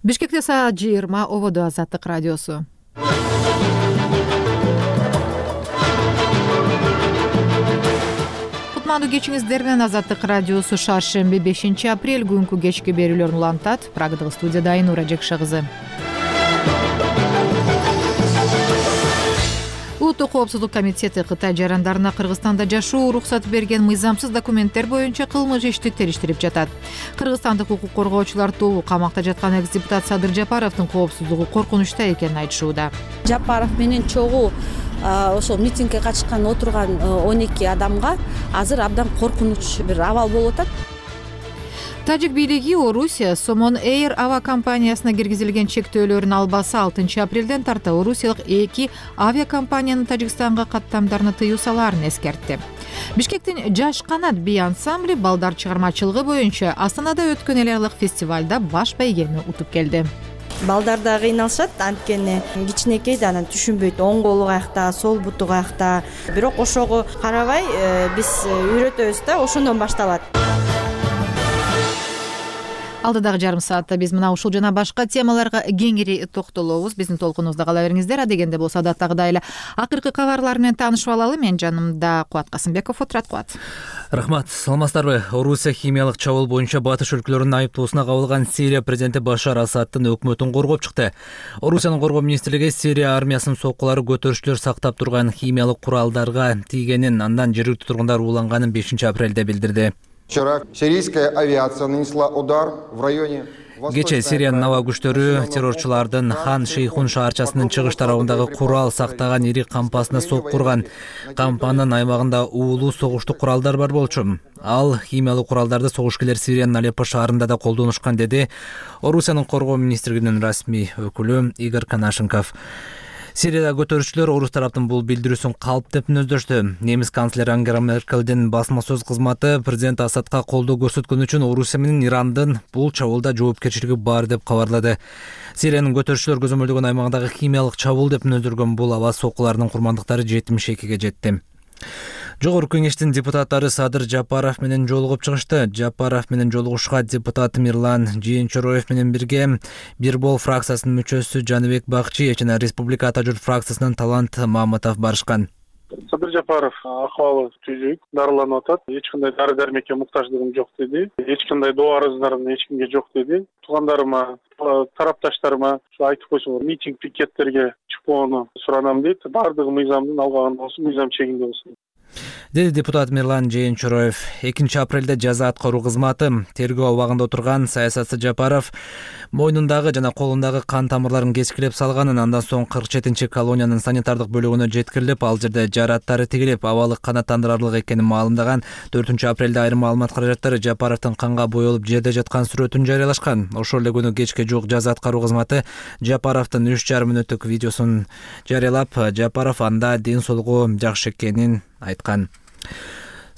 Бишкекте саат 20, ободо Азаттык радиосу. Кутмандуу кечиңиздер менен Азаттык радиосу шаршемби 5 апрель күнкү кечки берүүлөрүн улантат. Прагдагы студияда Айнура Жекшагызы. Улуттук коопсуздук комитети Кытай жарандарына Кыргызстанда жашоо уруксат берген мыйзамсыз документтер боюнча кылмыш ишти териштирип жатат. Кыргызстандык укук коргоочулар тобу камакта жаткан экс-депутат Садыр Жапаровдун коопсуздугу коркунучта экенин айтышууда. Жапаров менен чогуу ошол митингге катышкан отурган 12 адамга азыр абдан коркунуч бир абал болуп атат. Тажик бийлиги Орусия Сомон Эйр авиакомпаниясына киргизилген чектөөлөрүн албаса 6 апрелден тарта орусиялык 2 авиакомпаниянын Тажикстанга каттамдарына тыюу салаарын эскертти. Бишкектин Жаш канат би ансамбли балдар чыгармачылыгы боюнча Астанада өткөн эл аралык фестивалда баш байгени утуп келди. Балдар да кыйналышат, анткени кичинекей да анан түшүнбөйт, оң колу каякта, сол буту каякта. Бирок ошого карабай биз үйрөтөбүз да, ошондон башталат. Алдыдагы жарым саатта биз мына ушул жана башка темаларга кеңири токтолобуз. Биздин толкунубузда кала бериңиздер. Дегенде болсо адаттагыдай эле акыркы кабарлар менен таанышып алалы. Мен жанымда Кубат Касымбеков отурат. Кубат. Рахмат. Саламатсыздарбы? Орусия химиялык чабуул боюнча батыш өлкөлөрүнүн айыптоосуна кабылган Сирия президенти Башар Асаддын өкмөтүн коргоп чыкты. Орусиянын коргоо министрлиги Сирия армиясынын соккулары көтөрүшчүлөр сактап турган химиялык куралдарга тийгенин, андан жергиликтүү тургундар ууланганын 5 апрелде билдирди. Вчера сирийская авиация нанесла удар в районе. Кечээ Сириянын аба күчтөрү террорчулардын Хан Шейхун шаарчасынын чыгыш тарабындагы курал сактаган ири кампасына сокку урган. Кампанын аймагында уулуу согуштук куралдар бар болчу. Ал химиялык куралдарды согушкерлер Сириянын Алеппо шаарында да колдонушкан, деди Орусиянын коргоо министрлигинин расмий өкүлү Игорь Конашенков. Сирияда көтөрүшчүлөр орус тараптын бул билдирүүсүн калп деп мүнөздөштү. Немис канцлери Ангела Меркелдин басма сөз кызматы президент Асадка колдоо көрсөткөн үчүн Орусия менен Ирандын бул чабуулда жоопкерчилиги бар деп кабарлады. Сириянын көтөрүшчүлөр көзөмөлдөгөн аймагындагы химиялык чабуул деп мүнөздөргөн бул аба соккуларынын курмандыктары 72-ге жетти. Жогорку кеңештин депутаттары Садыр Жапаров менен жолугуп чыгышты. Жапаров менен жолугушка депутат Мирлан Жээнчороев менен бирге Бирбол фракциясынын мүчөсү Жаныбек Бакчи жана Республика Ата журт фракциясынан Талант Маматов барышкан. Садыр Жапаров акыбалы түзүк, дарыланып атат. Эч кандай дары-дармекке муктаждыгым жок деди. Эч кандай доо арыздарым эч кимге жок деди. Туугандарыма, тарапташтарыма айтып койсоңор, митинг пикеттерге чыкпоону суранам дейт. Бардыгы мыйзамдын алгагында болсун, мыйзам чегинде болсун, деди депутат Мирлан Жээнчороев. 2 апрелде жаза аткаруу кызматы тергөө абагында отурган саясатчы Жапаров мойнундагы жана колундагы кан тамырларын кескилеп салганын, андан соң 47 колониянын санитардык бөлүгүнө жеткирилип, ал жерде жараттары тигилип, абалы канааттандырарлык экенин маалымдаган. 4 апрелде айрым маалымат каражаттары Жапаровдун канга боелуп жерде жаткан сүрөтүн жарыялашкан. Ошол эле күнү кечке жуук жаза аткаруу кызматы Жапаровдун 3,5 мүнөттүк видеосун жарыялап, Жапаров анда ден соолугу жакшы экенин айткан.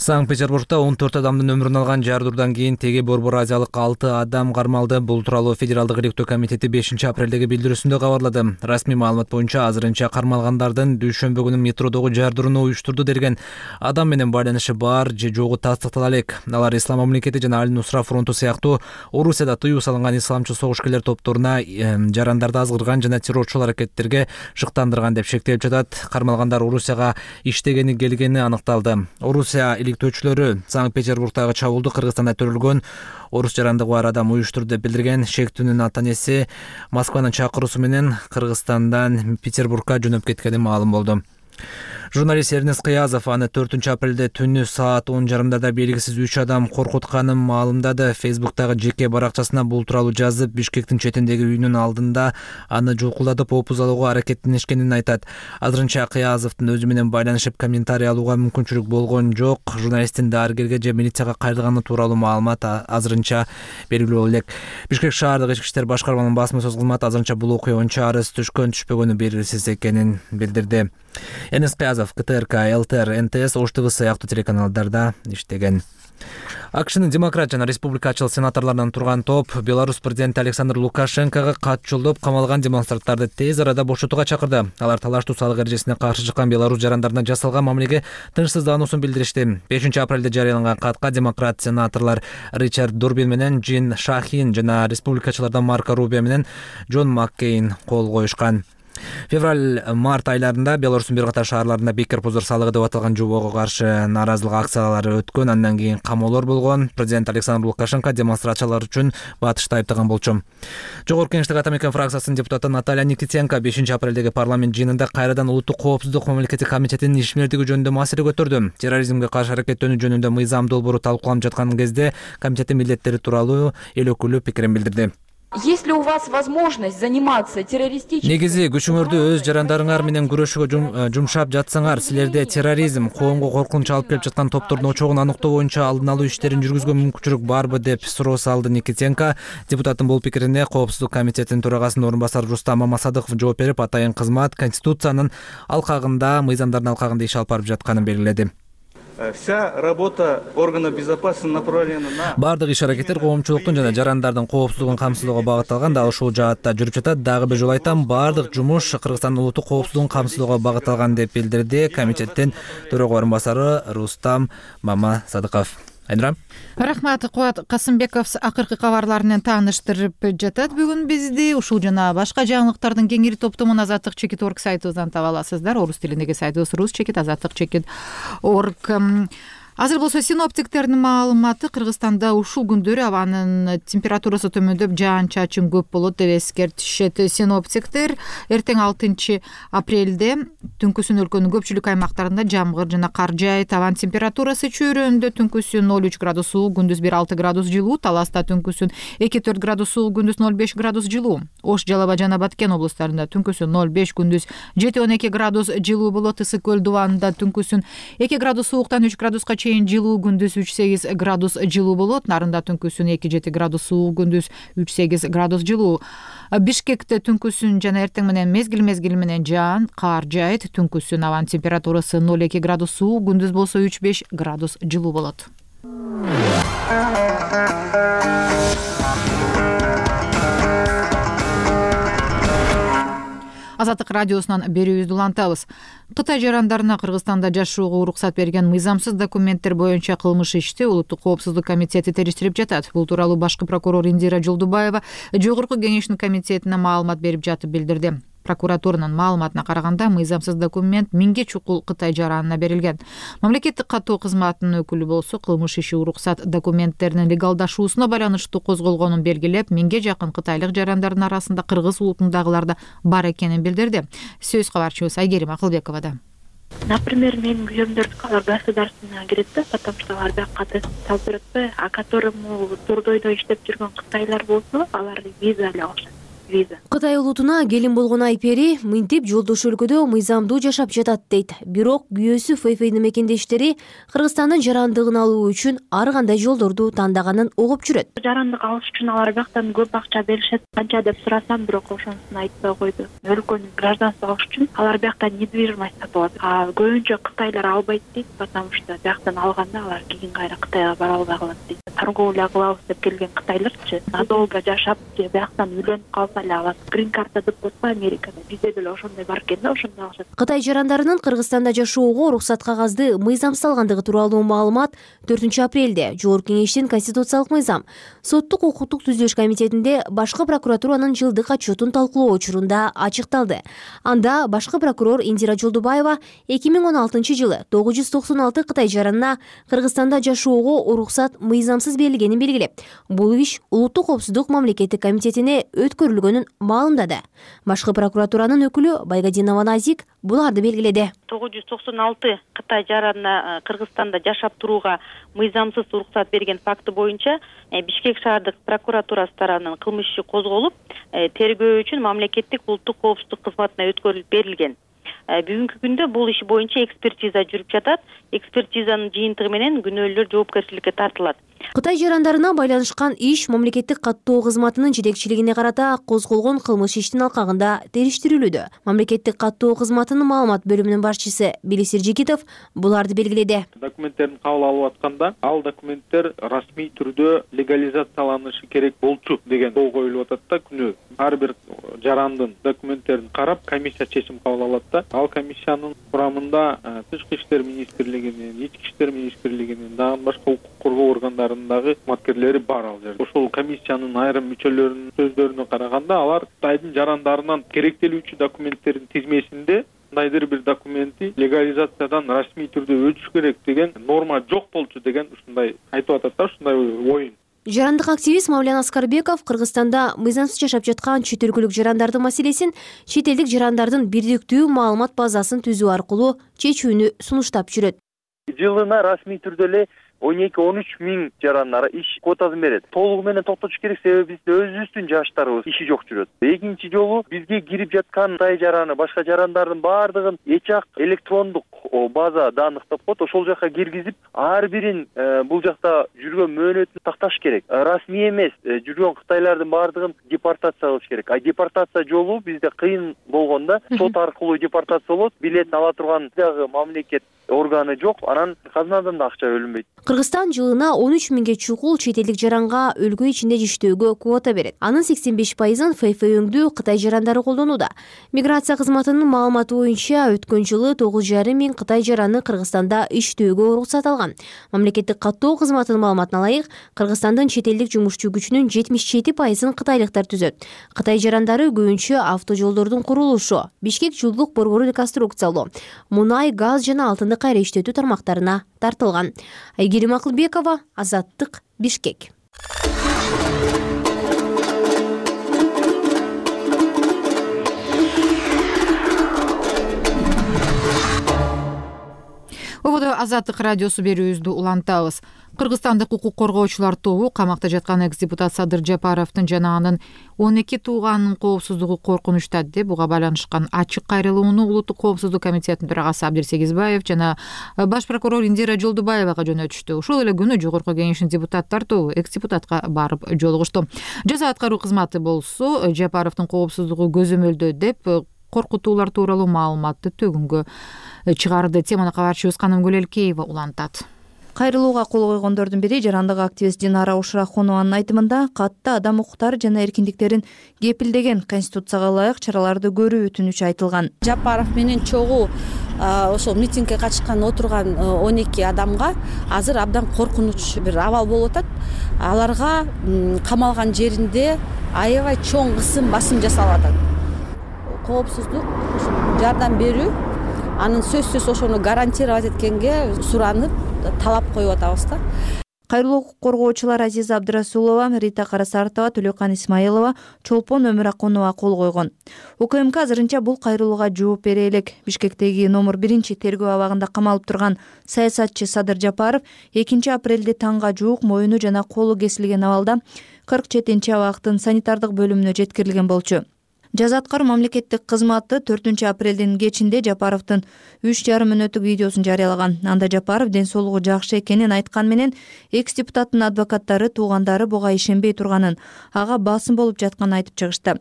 Санкт-Петербургда 14 адамдын өмүрүн алган жардыруудан кийин теги Борбор Азиялык 6 адам кармалды. Бул тууралуу Федералдык иликтөө комитети 5 апрелдеги билдирүүсүндө кабарлады. Расмий маалымат боюнча азырынча кармалгандардын дүйшөмбү күнү метродогу жардырууну уюштурду делген адам менен байланышы бар же жогу тастыктала элек. Алар Ислам мамлекети жана Аль-Нусра фронту сыяктуу Орусияда тыюу салынган исламчы согушкерлер топторуна жарандарды азгырган жана террорчул аракеттерге шыктандырган деп шектелип жатат. Кармалгандар Орусияга иштегени келгени аныкталды. Орусия иликтөөчүлөрү Санкт-Петербургдагы чабуулду Кыргызстанда төрөлгөн орус жарандыгы бар адам уюштурду деп билдирген. Шектүүнүн ата-энеси Москванын чакыруусу менен Кыргызстандан Петербургга жөнөп кеткени маалым болду. Журналист Эрнест Кыязов аны 4 апрелде түнү саат 10:30 белгисиз 3 адам коркутканын маалымдады. Фейсбуктагы жеке баракчасына бул тууралуу жазып, Бишкектин четиндеги үйүнүн алдында аны жулкулатып опузалууга аракеттенишкенин айтат. Азырынча Кыязовдун өзү менен байланышып комментарий алууга мүмкүнчүлүк болгон жок. Журналисттин дарыгерге же милицияга кайрылганы тууралуу маалымат азырынча белгилүү элек. Бишкек шаардык ички иштер башкарманын басма сөз кызматы азырынча бул окуя боюнча арыз түшкөн-түшпөгөнү белгисиз экенин билдирди. Эрнест Кыязов КТРК, ЛТР, НТС, Ош ТВ сыяктуу телеканалдарда иштеген. АКШнын демократ жана республикачыл сенаторлорунан турган топ Беларусь президенти Александр Лукашенкого кат жолдоп камалган демонстранттарды тез арада бошотууга чакырды. Алар талаштуу салык эрежесине каршы чыккан Беларусь жарандарына жасалган мамилеге тынчсыздануусун билдиришти. 5-апрелде жарыяланган катка демократ сенаторлор Ричард Дурбин менен Джин Шахин жана республикачылардан Марко Рубио менен Джон Маккейн кол коюшкан. Февраль-март айларында Беларустун бир катар шаарларында бекер позор салыгы деп аталган жобого каршы нааразылык акциялары өткөн, андан кийин камоолор болгон. Президент Александр Лукашенко демонстрациялар үчүн батышты айыптаган болчу. Жогорку Кеңештик атамекен фракциясынын депутаты Наталья Никитенко 5-апрелдеги парламент жыйынында кайрадан улуттук коопсуздук мамлекеттик комитетинин ишмердиги жөнүндө маселе көтөрдү. Терроризмге каршы аракеттөнүү жөнүндө мыйзам долбоору талкууланып жаткан кезде комитеттин милдеттери тууралуу эл өкүлү пикирин билдирди. Если у вас возможность заниматься террористическими... Негизи күчүңөрдү өз жарандарыңар менен күрөшүүгө жумшап жатсаңар, силерде терроризм, коомго коркунуч алып келип жаткан топтордун очогун аныктоо боюнча алдын алуу иштерин жүргүзгөн мүмкүнчүлүк барбы деп суроо салды Никитенко. Депутаттын бул пикирине Коопсуздук комитетинин төрагасынын орун басары Рустам Мамасадыков жооп берип, атайын кызмат Конституциянын алкагында, мыйзамдардын алкагында иш алып барып жатканын белгиледи. Вся работа органов безопасности направлена на... Бардык иш-аракеттер коомчулуктун жана жарандардын коопсуздугун камсыздоого багытталган. Дагы ушул жаатта жүрүп жатат. Дагы бир жолу айтам, бардык жумуш Кыргызстандын улуттук коопсуздугун камсыздоого багытталган деп билдирди комитеттин төрага орун басары Рустам Мамасадыков. Айнура. Рахмат, Кубат Касымбеков акыркы кабарлар менен тааныштырып жатат бүгүн бизди. Ушул жана башка жаңылыктардын кеңири топтомун Азаттык чекит орг сайтыбыздан таба аласыздар. Орус тилиндеги сайтыбыз Рус чекит Азаттык чекит орг. Азыр болсо синоптиктердин маалыматы: Кыргызстанда ушул күндөрү абанын температурасы төмөндөп, жаан-чачын көп болот деп эскертишет синоптиктер. Эртең 6-апрелде түнкүсүн өлкөнүн көпчүлүк аймактарында жамгыр жана кар жаайт. Абан температурасы чөйрөндө түнкүсүн 0,3 градус суук, күндүз 1,6 градус жылуу. Таласта түнкүсүн 2,4 градус суук, күндүз 0,5 градус жылуу. Ош, Жалал Абад жана Баткен облустарында түнкүсүн 0,5, күндүз 7-12 градус жылуу болот. Ысык көл дубанында түнкүсүн 2 градус сууктан 3 градуска жылуу, күндүз 3-8 градус жылуу болот. Нарында түнкүсүн 2-7 градус суук, күндүз 3-8 градус жылуу. Бишкекте түнкүсүн жана эртең менен мезгил менен жаан, кар жаайт. Түнкүсүн абанын температурасы 0,2 градус суук, күндүз болсо 3-5 градус жылуу болот. Азаттык радиосунан берүүбүздү улантабыз. Кытай жарандарына Кыргызстанда жашоого уруксат берген мыйзамсыз документтер боюнча кылмыш ишти Улуттук коопсуздук комитети териштирип жатат. Бул тууралуу башкы прокурор Индира Жолдубаева Жогорку кеңештин комитетине маалымат берип жатып билдирди. Прокуратуранын маалыматына караганда, мыйзамсыз документ 1000 чукул Кытай жаранына берилген. Мамлекеттик каттоо кызматынын өкүлү болсо, кылмыш иши уруксат документтеринин легалдашуусуна байланыштуу козголгонун белгилеп, 1000ге жакын кытайлык жарандардын арасында кыргыз улутундагылар да бар экенин билдирди. Сөз кабарчыбыз Айгерим Акылбековада. Например, менин күйөөмдөрдү алар государственный кирет да, потому что алар бияка салып берет. А которому турдойдо иштеп жүргөн кытайлар болсо, алар виза эле алышат. Кытай улутуна келин болгон Айпери мынтип жолдош өлкөдө мыйзамдуу жашап жатат дейт. Бирок күйөөсү Фэйфэйдин мекендештери Кыргызстандын жарандыгын алуу үчүн ар кандай жолдорду тандаганын угуп жүрөт. Жарандык алыш үчүн алар бияктан көп акча беришет. Канча деп сурасам, бирок ошонусун айтпай койду. Өлкөнүн гражданствы алыш үчүн алар бияктан недвижимость сатып алат. А көбүнчө кытайлар албайт дейт, потому что бияктан алганда алар кийин кайра Кытайга бара албай калат дейт. Торговля кылабыз деп келген кытайларчы надолго жашап, бияктан үйлөнүп калса алат. Грин карта деп коет Америкада. Бизде деле ошондой бар экен да, ошондо алышат. Кытай жарандарынын Кыргызстанда жашоого уруксат кагазды мыйзамсыз алгандыгы тууралуу маалымат 4-апрелде Жогорку кеңештин конституциялык мыйзам, соттук укуктук түзүлүш комитетинде башкы прокуратуранын жылдык отчетун талкуулоо учурунда ачыкталды. Анда башкы прокурор Индира Жолдубаева 2016 жылы 996 Кытай жаранына Кыргызстанда жашоого уруксат мыйзамсыз берилгенин белгилеп, бул иш Улуттук коопсуздук мамлекеттик комитетине өткөрүлгөнүн маалымдады. Башкы прокуратуранын өкүлү Байгадинова Назик буларды белгиледи. 996 Кытай жаранына Кыргызстанда жашап турууга мыйзамсыз уруксат берген факты боюнча Бишкек шаардык прокуратурасы тарабынан кылмыш иши козголуп, тергөө үчүн мамлекеттик улуттук коопсуздук кызматына өткөрүлүп берилген. Бүгүнкү күндө бул иш боюнча экспертиза жүрүп жатат. Экспертизанын жыйынтыгы менен күнөөлүүлөр жоопкерчиликке тартылат. Кытай жарандарына байланышкан иш мамлекеттик каттоо кызматынын жетекчилигине карата козголгон кылмыш иштин алкагында териштирилүүдө. Мамлекеттик каттоо кызматынын маалымат бөлүмүнүн башчысы Белис Эржигитов буларды белгиледи. Документтерин кабыл алып атканда, ал документтер расмий түрдө легализацияланышы керек болчу деген жол коюлуп атат да күнөө. Ар бир жарандын документтерин карап, комиссия чечим кабыл алат да. Ал комиссиянын курамында Тышкы иштер министрлигинин, Ички иштер министрлигинин, дагы башка укук коргоо органдарындагы кызматкерлери бар ал жерде. Ошол комиссиянын айрым мүчөлөрүнүн сөздөрүнө караганда, алар Кытайдын жарандарынан керектелүүчү документтердин тизмесинде кандайдыр бир документи легализациядан расмий түрдө өтүш керек деген норма жок болчу деген ушундай айтып атат да, ушундай оюн. Жарандык активист Мавлян Аскарбеков Кыргызстанда мыйзамсыз жашап жаткан чет өлкөлүк жарандардын маселесин чет элдик жарандардын бирдиктүү маалымат базасын түзүү аркылуу чечүүнү сунуштап жүрөт. Жылына расмий түрдө эле 12-13 миң жарандар иш квотасын берет. Толугу менен токтотуш керек, себеби бизде өзүбүздүн жаштарыбыз иши жок жүрөт. Экинчи жолу бизге кирип жаткан Кытай жараны, башка жарандардын баардыгын эч-ак электрондук база данных деп коет. Ошол жака киргизип, ар бирин бул жакта жүргөн мөөнөтүн такташ керек. Расмий эмес жүргөн кытайлардын баардыгын депортация кылыш керек. Депортация жолу бизде кыйын болгондо сот аркылуу депортация болот. Билетин ала турган дагы мамлекет органы жок, анан казнадан да акча бөлүнбөйт. Кыргызстан жылына 13 миңге чукул чет элдик жаранга өлкө ичинде иштөөгө квота берет. Анын 85%-ын ФФ өңдүү Кытай жарандары колдонууда. Миграция кызматынын маалыматы боюнча өткөн жылы 9,5 миң Кытай жараны Кыргызстанда иштөөгө уруксат алган. Мамлекеттик каттоо кызматынын маалыматына ылайык, Кыргызстандын чет элдик жумушчу күчүнүн 77%-ын кытайлыктар түзөт. Кытай жарандары көбүнчө автожолдордун курулушу, Бишкек жылдык борбору реконструкциялоо, мунай, газ жана алтынды кайра иштетүү тармактарына тартылган. Айгерим Акылбекова, Азаттык, Бишкек. Ободо Азаттык радиосу берүүбүздү улантабыз. Кыргызстандык укук коргоочулар тобу камакта жаткан экс-депутат Садыр Жапаровдун жана анын 12 тууганынын коопсуздугу коркунучта деп буга байланышкан ачык кайрылууну Улуттук коопсуздук комитетинин төрагасы Абдир Сегизбаев жана баш прокурор Индира Жолдубаевага жөнөтүштү. Ошол эле күнү Жогорку Кеңештин депутаттар тобу экс-депутатка барып жолугушту. Жаза аткаруу кызматы болсо Жапаровдун коопсуздугу көзөмөлдө деп коркутуулар тууралуу маалыматты төгүнгө чыгарды. Теманы кабарчыбыз Каным Гүлелкеева улантат. Кайрылууга кол койгондордун бири жарандык активист Динара Ушрахонованын айтымында катта адам укуктары жана эркиндиктерин кепилдеген конституцияга ылайык чараларды көрүү өтүнүчү айтылган. Жапаров менен чогуу ошол митингге катышкан отурган 12 адамга азыр абдан коркунуч бир абал болуп атат. Аларга камалган жеринде аябай чоң кысым басым жасалып атат. Коопсуздук жардам берүү, анын сөзсүз ошону гарантировать эткенге суранып талап коюп атабыз да. Кайрылуу коргоочулар Азиза Абдырасулова, Рита Карасартова, Төлөкан Исмаилова, Чолпон Өмүракунова кол койгон. УКМК азырынча бул кайрылууга жооп бере элек. Бишкектеги номер 1 тергөө абагында камалып турган саясатчы Садыр Жапаров 2 апрелде таңга жуук моюну жана колу кесилген абалда 47 абактын санитардык бөлүмүнө жеткирилген болчу. Жаза аткаруу мамлекеттик кызматы 4 апрелдин кечинде Жапаровдун 3,5 мүнөттүк видеосун жарыялаган. Анда Жапаров ден соолугу жакшы экенин айткан менен экс-депутаттын адвокаттары туугандары буга ишенбей турганын, ага басым болуп жатканын айтып чыгышты.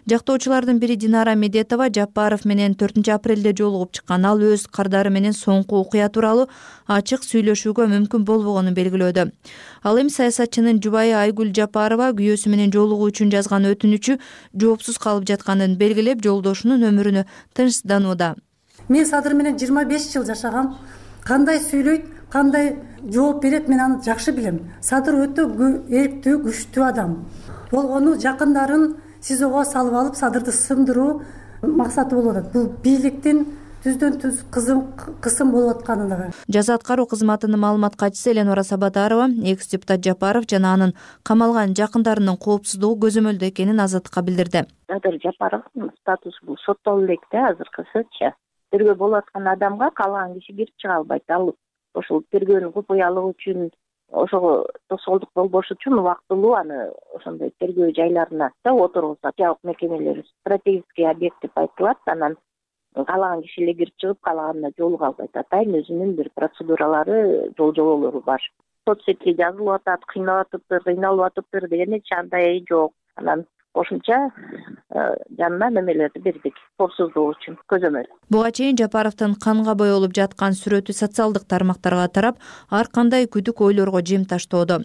Жактоочулардын бири Динара Медетова Жапаров менен 4 апрелде жолугуп чыккан. Ал өз кардары менен соңку окуя тууралуу ачык сүйлөшүүгө мүмкүн болбогонун белгилөөдө. Ал эми саясатчынын жубайы Айгүл Жапарова күйөөсү менен жолугуу үчүн жазган өтүнүчү жоопсуз калып жатканын белгилеп, жолдошунун өмүрүнө тынчсызданууда. Мен Садыр менен 25 жыл жашагам. Кандай сүйлөйт, кандай жооп берет, мен аны жакшы билем. Садыр өтө эрктүү, күчтүү адам. Болгону жакындарын СИЗОго салып алып, Садырды сындыруу максаты болуп атат. Бул бийликтин түздөн-түз кысым болуп атканы. Жаза аткаруу кызматынын маалымат катчысы Эленора Сабатарова экс-депутат Жапаров жана анын камалган жакындарынын коопсуздугу көзөмөлдө экенин Азаттыкка билдирди. Садыр Жапаровдун статусу бул соттолуп элек да азыркысыча. Тергөө болуп аткан адамга каалаган киши кирип чыга албайт. Ал ошол тергөөнүн купуялыгы үчүн, ошого тосолдук болбош үчүн убактылуу аны ошондой тергөө жайларына да отургузат. Жабык мекемелер стратегический объект деп айтылат. Анан каалаган киши эле кирип чыгып, каалаганына жолуга албайт. Атайын өзүнүн бир процедуралары, жол жоболору бар. соц сетке жазылып атат, кыйналып атыптыр деген эч андай жок. Анан кошумча жанына немелерди бердик коопсуздук үчүн көзөмөл. Буга чейин Жапаровдун канга боелуп жаткан сүрөтү социалдык тармактарга тарап, ар кандай күдүк ойлорго жем таштоодо.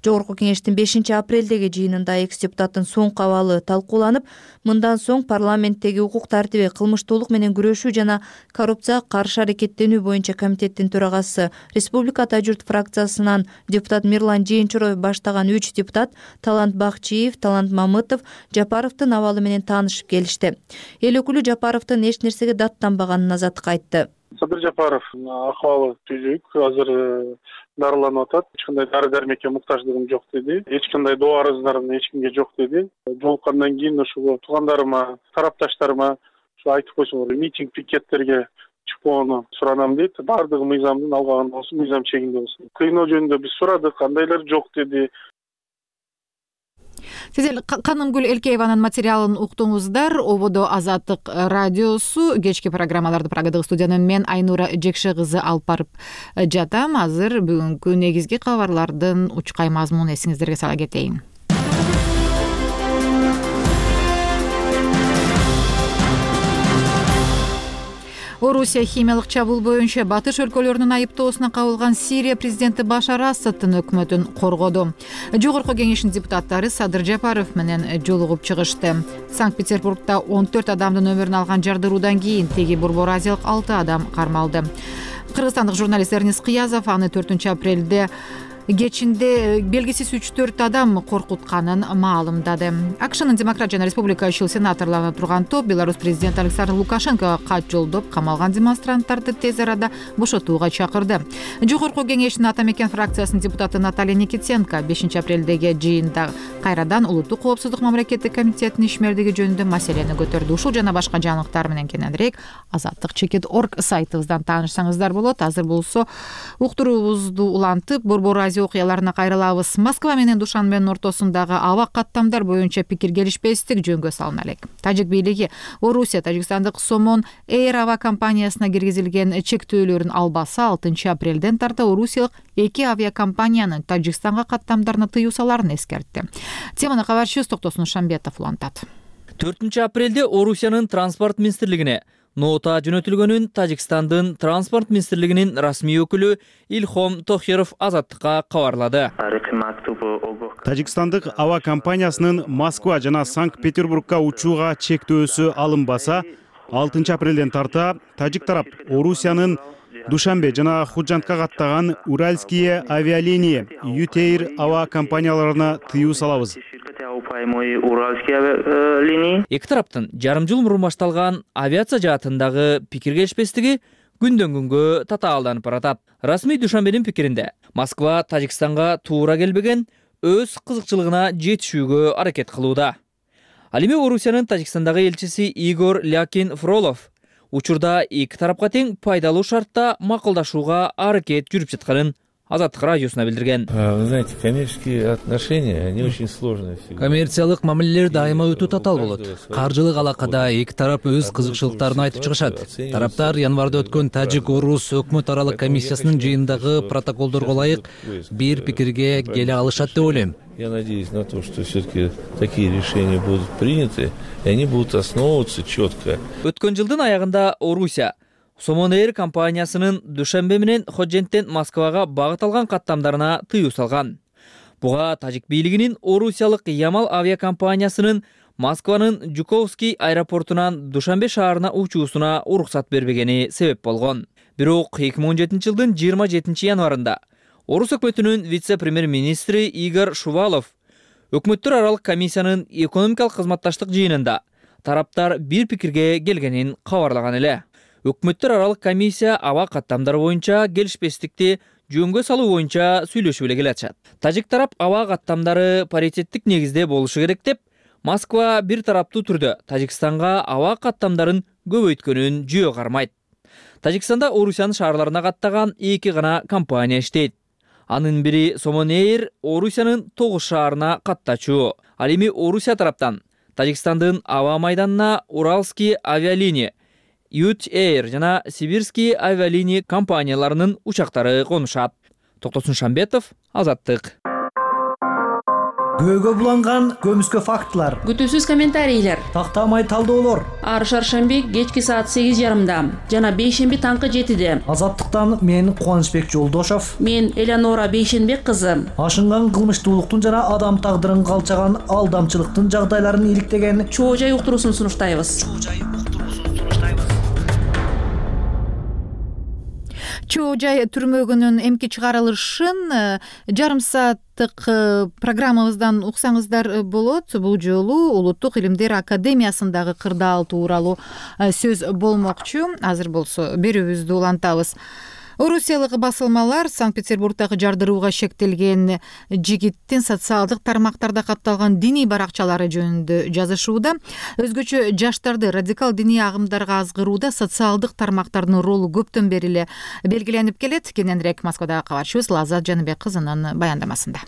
Жогорку кеңештин 5-апрелдеги жыйынында экс-депутаттын соңку абалы талкууланып, мындан соң парламенттеги укук тартиби, кылмыштуулук менен күрөшүү жана коррупцияга каршы аракеттенүү боюнча комитеттин төрагасы, Республика Ата журт фракциясынан депутат Мирлан Жээнчуроев баштаган 3 депутат Талант Бакчиев, Талант Мамытов Жапаровдун абалы менен таанышып келишти. Эл өкүлү Жапаровдун эч нерсеге даттанбаганын Азаттыкка айтты. Садыр Жапаров акыбалы түзүк, азыр дарыланып атат. Эч кандай дары дармекке муктаждыгым жок деди. Эч кандай доо арыздарым эч кимге жок деди. Жолуккандан кийин ушул туугандарыма, тарапташтарыма айтып койсоңор, митинг, пикеттерге чыкпоону суранам дейт. Баардыгы мыйзамдын алгагында болсун, мыйзам чегинде болсун. Кыйноо жөнүндө биз сурадык, кандайлар жок деди. Сиз Канымгүл Элкееванын материалын уктуңуздар. Ободо Азаттык радиосу кечки программаларды Прагадагы студиянын мен Айнура Жекше кызы алып барып жатам. Азыр бүгүнкү негизги кабарлардын учкай мазмунун эсиңиздерге сала кетейин. Орусия химиялык чабуул боюнча батыш өлкөлөрүнүн айыптоосуна кабылган Сирия президенти Башар Асаддын өкмөтүн коргоду. Жогорку кеңештин депутаттары Садыр Жапаров менен жолугуп чыгышты. Санкт-Петербургда 14 адамдын өмүрүн алган жардыруудан кийин теги Борбор Азиялык 6 адам кармалды. Кыргызстандык журналист Эрнис Кыязов аны 4-апрелде кечинде белгисиз 3-4 адам коркутканын маалымдады. АКШнын Демократ жана Республикачыл сенаторлоруна турган топ Беларусь президенти Александр Лукашенкого кат жолдоп, камалган демонстранттарды тез арада бошотууга чакырды. Жогорку кеңештин Ата мекен фракциясынын депутаты Наталья Никитенко 5-апрелдеги жыйында кайрадан Улуттук коопсуздук мамлекеттик комитетинин ишмердиги жөнүндө маселени көтөрдү. Ушул жана башка жаңылыктар менен кененирээк azattik.org сайтыбыздан таанышсаңыздар болот. Азыр болсо уктуруубузду улантып, Борбор Азия окуяларына кайрылабыз. Москва менен Душанбенин ортосундагы аба каттамдар боюнча пикир келишпестик жөнгө салына элек. Тажик бийлиги Орусия тажикстандык Somon Air ава компаниясына киргизилген чектөөлөрүн албаса 6-апрелден тарта орусиялык 2 авиакомпаниянын Тажикстанга каттамдарына тыюу саларын эскертти. Теманы кабарчыбыз Токтосун Шамбетов улантат. 4-апрелде Орусиянын транспорт министрлигине нота жөнөтүлгөнүн Тажикстандын транспорт министрлигинин расмий өкүлү Илхом Тохиров Азаттыкка кабарлады. Тажикстандык ава компаниясынын Москва жана Санкт-Петербургга учууга чектөөсү алынбаса, 6-апрелден тарта тажик тарап Орусиянын Душанбе жана Худжантка каттаган Уральские авиалинии Ютейр ава компанияларына тыюу салабыз. Эки тараптын жарым жыл мурун башталган авиация жаатындагы пикир келишпестиги күндөн күнгө татаалданып баратат. Расмий Душанбенин пикиринде Москва Тажикстанга туура келбеген өз кызыкчылыгына жетишүүгө аракет кылууда. Ал эми Орусиянын Тажикстандагы элчиси Игорь Лякин Фролов учурда эки тарапка тең пайдалуу шартта макулдашууга аракет жүрүп жатканын Азаттык радиосуна билдирген. Вы знаете, коммерческие отношения, они очень сложные. Коммерциялык мамилелер дайыма өтө татаал болот. Каржылык алакада эки тарап өз кызыкчылыктарын айтып чыгышат. Тараптар январда өткөн Тажик-Орус өкмөт аралык комиссиясынын жыйындагы протоколдорго ылайык бир пикирге келе алышат деп ойлойм. Я надеюсь на то, что все-таки такие решения будут приняты, и они будут основываться четко. Өткөн жылдын аягында Орусия Somon Air компаниясынын Душанбе менен Ходженттен Москвага багыт алган каттамдарына тыюу салган. Буга тажик бийлигинин Орусиялык Ямал авиакомпаниясынын Москванын Жуковский аэропортунан Душанбе шаарына учуусуна уруксат бербегени себеп болгон. Бирок 2017 жылдын 27 январында Орус өкмөтүнүн вице-премьер-министри Игорь Шувалов өкмөттөр аралык комиссиянын экономикалык кызматташтык жыйынында тараптар бир пикирге келгенин кабарлаган эле. Өкмөттөр аралык комиссия аба каттамдар боюнча келишпестикти жөнгө салуу боюнча сүйлөшүп эле келатышат. Тажик тарап аба каттамдары паритеттик негизде болушу керек деп, Москва бир тараптуу түрдө Тажикстанга аба каттамдарын көбөйткөнүн жөө кармайт. Тажикстанда Орусиянын шаарларына каттаган 2 гана компания иштейт. Анын бири Somon Air Орусиянын 9 шаарына каттачу. Ал эми Орусия тараптан Тажикстандын аба майданына Уральские авиалинии Ютейр жана Сибирские авиалинии компанияларынын учактары конушат. Токтосун Шамбетов, Азаттык. Көөгө буланган көмүскө фактылар, күтүүсүз комментарийлер, тактамай талдоолор. Ар шаршемби кечки саат 8:30 жана бейшемби таңкы 7:00. Азаттыктан мен Кубанычбек Жолдошов, мен Элеонора Бейшенбек кызы. Ашынган кылмыштуулуктун жана адам тагдырын калчаган алдамчылыктын жагдайларын иликтеген чоо жай уктуруусун сунуштайбыз. Чоо жай түрмөгүнүн эмки чыгарылышын жарым сааттык программабыздан уксаңыздар болот. Бул жолу Улуттук Илимдер Академиясындагы кырдаал тууралуу сөз болмокчу. Азыр болсо берүүбүздү улантабыз. Орусиялык басылмалар Санкт-Петербургдагы жардырууга шектелген жигиттин социалдык тармактарда катталган диний баракчалары жөнүндө жазышууда. Өзгөчө жаштарды радикал диний агымдарга азгырууда социалдык тармактардын ролу көптөн бери эле белгиленип келет. Кененирээк Москвадагы кабарчыбыз Лаззат Жаныбек кызынын баяндамасында.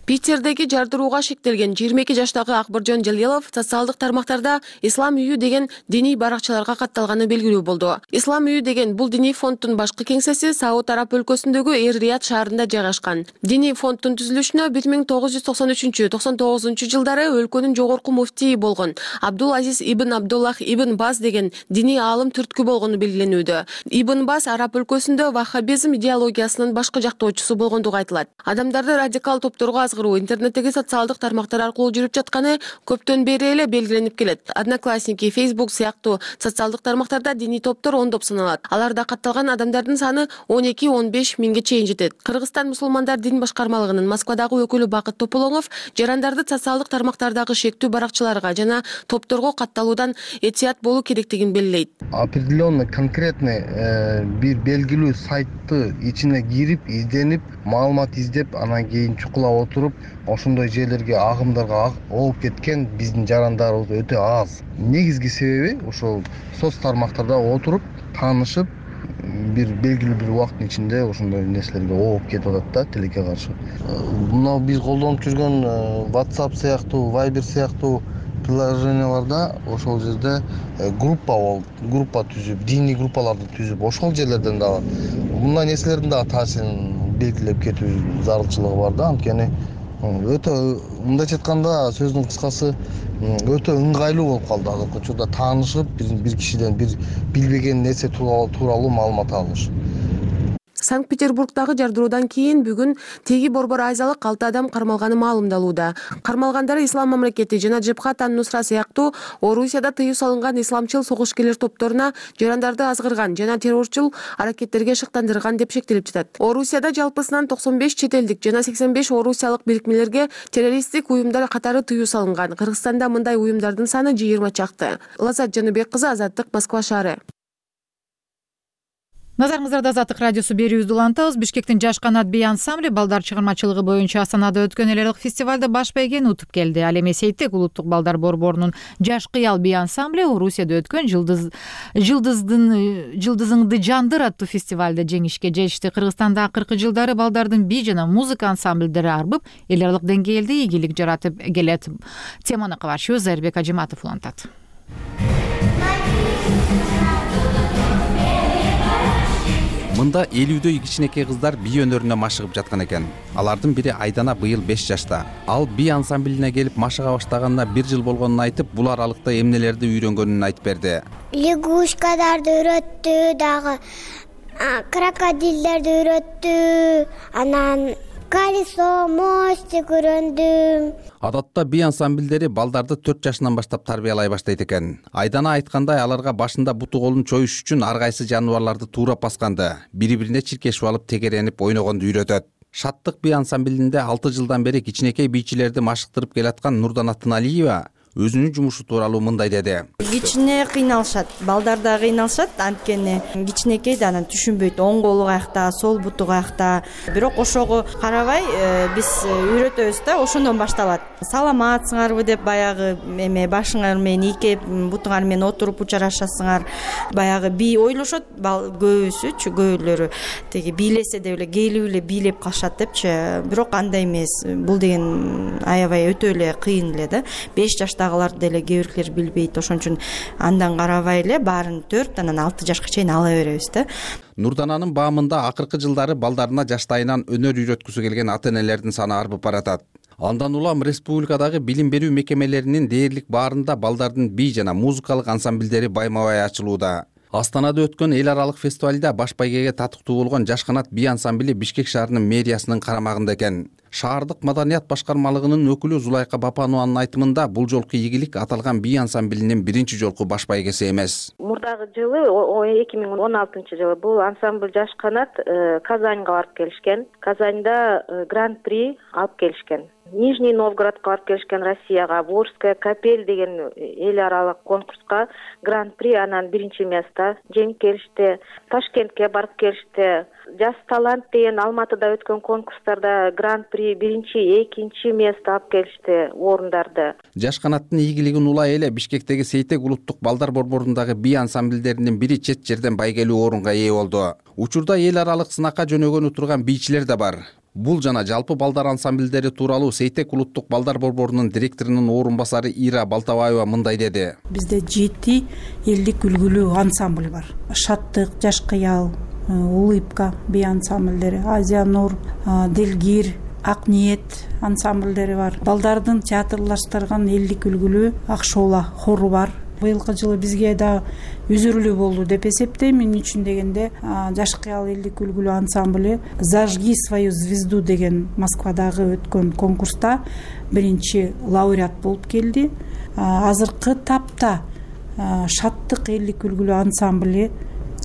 Питердеги жардырууга шектелген 22 жаштагы Акбыржон Жалилов социалдык тармактарда Ислам үйү деген диний баракчаларга катталганы белгилүү болду. Ислам үйү деген бул диний фонддун башкы кеңсеси Сауд Араб өлкөсүндөгү Эр-Рияд шаарында жайгашкан. Диний фонддун түзүлүшүнө 1993-99 жылдары өлкөнүн жогорку муфтийи болгон Абдул Азиз ибн Абдуллах ибн Баз деген диний аалым түрткү болгону белгиленүүдө. Ибн Баз араб өлкөсүндө ваххабизм идеологиясынын башкы жактоочусу болгондугу айтылат. Адамдарды радикал топторго интернеттеги социалдык тармактар аркылуу жүрүп жатканы көптөн бери эле белгиленип келет. Одноклассники, Facebook сыяктуу социалдык тармактарда диний топтор ондоп саналат. Аларда катталган адамдардын саны 12-15 миңге чейин жетет. Кыргызстан мусулмандар дин башкармалыгынын Москвадагы өкүлү Бакыт Тополоңов жарандарды социалдык тармактардагы шектүү баракчаларга жана топторго катталуудан этият болуу керектигин белгилейт. Определенно конкретный бир белгилүү сайтты ичине кирип, изденип, маалымат издеп, анан кийин чукулап отуруп, ошондой жерлерге агымдарга ооп кеткен биздин жарандарыбыз өтө аз. Негизги себеби ошол соц тармактарда отуруп, таанышып, бир белгилүү бир убакыттын ичинде ошондой нерселерге ооп кетип атат да, тилекке каршы. Мына биз колдонуп жүргөн WhatsApp сыяктуу, Viber сыяктуу приложенияларда ошол жерде группа түзүп, диний группаларды түзүп, ошол жерлерден дагы мындай нерселердин дагы таасирин белгилеп кетүү зарылчылыгы бар да. Анткени өтө мындайча айтканда сөздүн кыскасы өтө ыңгайлуу болуп калды азыркы учурда таанышып, бир кишиден бир билбеген нерсе тууралуу маалымат алыш. Санкт-Петербургдагы жардыруудан кийин бүгүн теги борбор айзалык 6 адам кармалганы маалымдалууда. Кармалгандары Ислам мамлекети жана Жебхат ан-Нусра сыяктуу Орусияда тыюу салынган исламчыл согушкерлер топторуна жарандарды азгырган жана террорчул аракеттерге шыктандырган деп шектелип жатат. Орусияда жалпысынан 95 чет элдик жана 85 орусиялык бирикмелерге террористтик уюмдар катары тыюу салынган. Кыргызстанда мындай уюмдардын саны 20 чакты. Лаззат Жаныбек кызы, Азаттык, Москва шаары. Назарыңыздарда Азаттык радиосу берүүбүздү улантабыз. Бишкектин Жаш канат би ансамбли балдар чыгармачылыгы боюнча Астанада өткөн эл аралык фестивалда баш байгени утуп келди. Ал эми Сейтек улуттук балдар борборунун Жаш кыял би ансамбли Орусияда өткөн Жылдызыңды жандыр аттуу фестивалда жеңишке жетишти. Кыргызстанда акыркы жылдары балдардын би жана музыка ансамбльдери арбып, эл аралык деңгээлде ийгилик жаратып келет. Теманы кабарчыбыз Айрбек Ажиматов улантат. Мында 50дөй кичинекей кыздар би өнөрүнө машыгып жаткан экен. Алардын бири Айдана быйыл 5 жашта. Ал би ансамблине келип машыга баштаганына 1 жыл болгонун айтып, бул аралыкта эмнелерди үйрөнгөнүн айтып берди. Лягушкаларды үйрөттү, дагы крокодилдерди үйрөттү, анан колесо, мостик үйрөндүм. Адатта би ансамбльдери балдарды 4 жашынан баштап тарбиялай баштайт экен. Айдана айткандай, аларга башында буту колун чоюш үчүн ар кайсы жаныбарларды туурап басканды, бири-бирине чиркешип алып тегеренип ойногонду үйрөтөт. Шаттык би ансамблинде 6 жылдан бери кичинекей бийчилерди машыктырып келаткан Нурдана Тыналиева өзүнүн жумушу тууралуу мындай деди. Кичине кыйналышат, балдар да кыйналышат, анткени кичинекей да анан түшүнбөйт, оң колу каякта, сол буту каякта. Бирок ошого карабай биз үйрөтөбүз да, ошондон башталат. Саламатсыңарбы деп баягы эме башыңар менен ийкеп, бутуңар менен отуруп учурашасыңар. Баягы би ойлошот, көбүсүчү, көбүлөрү теги бийлесе деп эле келип эле бийлеп калышат депчи. Бирок андай эмес. Бул деген аябай өтө эле кыйын эле да. 5 жашта жаштагылар деле кээ бирлер билбейт, ошон үчүн андан карабай эле баарын 4 анан 6 жашка чейин ала беребиз да. Нурдананын баамында акыркы жылдары балдарына жаштайынан өнөр үйрөткүсү келген ата энелердин саны арбып баратат. Андан улам республикадагы билим берүү мекемелеринин дээрлик баарында балдардын бий жана музыкалык ансамбльдери байма-бай ачылууда. Астанада өткөн эл аралык фестивалда баш байгеге татыктуу болгон Жаш канат бий ансамбли Бишкек шаарынын мэриясынын карамагында экен. Шаардык маданият башкармалыгынын өкүлү Зулайка Бапанованын айтымында бул жолку ийгилик аталган бий ансамблинин биринчи жолку баш байгеси эмес. Мурдагы жылы 2016-жылы бул ансамбль Жаш канат Казаньга барып келишкен. Казаньда гран-при алып келишкен. Нижний Новгородко барып келишкен, Россияга, Борская капель деген эл аралык конкурска гран-при анан биринчи место жеңип келишти. Ташкентке барып келишти. Жас талант деген Алматыда өткөн конкурстарда гран-при биринчи, экинчи место алып келишти орундарды. Жаш канаттын ийгилигин улай эле Бишкектеги Сейтек улуттук балдар борборундагы бий ансамбльдеринин бири чет жерден байгелүү орунга ээ болду. Учурда эл аралык сынакка жөнөгөнү турган бийчилер да бар. Бул жана жалпы балдар ансамбльдери тууралуу Сейтек улуттук балдар борборунун директорунун орун басары Ира Балтабаева мындай деди. Бизде 7 элдик үлгүлүү ансамбль бар. Шаттык, Жаш кыял, Улыбка бий ансамбльдери, Азия Нур, Делгир, Ак ниет ансамбльдери бар. Балдардын театрлаштырган элдик үлгүлүү Ак шоола хору бар. Быйылкы жылы бизге да үзүрүлүү болду деп эсептейм. Мен үчүн дегенде Жаш кыял элдик үлгүлүү ансамбль «Зажги свою звезду» деген Москвадагы өткөн конкурста биринчи лауреат болуп келди. Азыркы тапта Шаттык элдик үлгүлүү ансамбль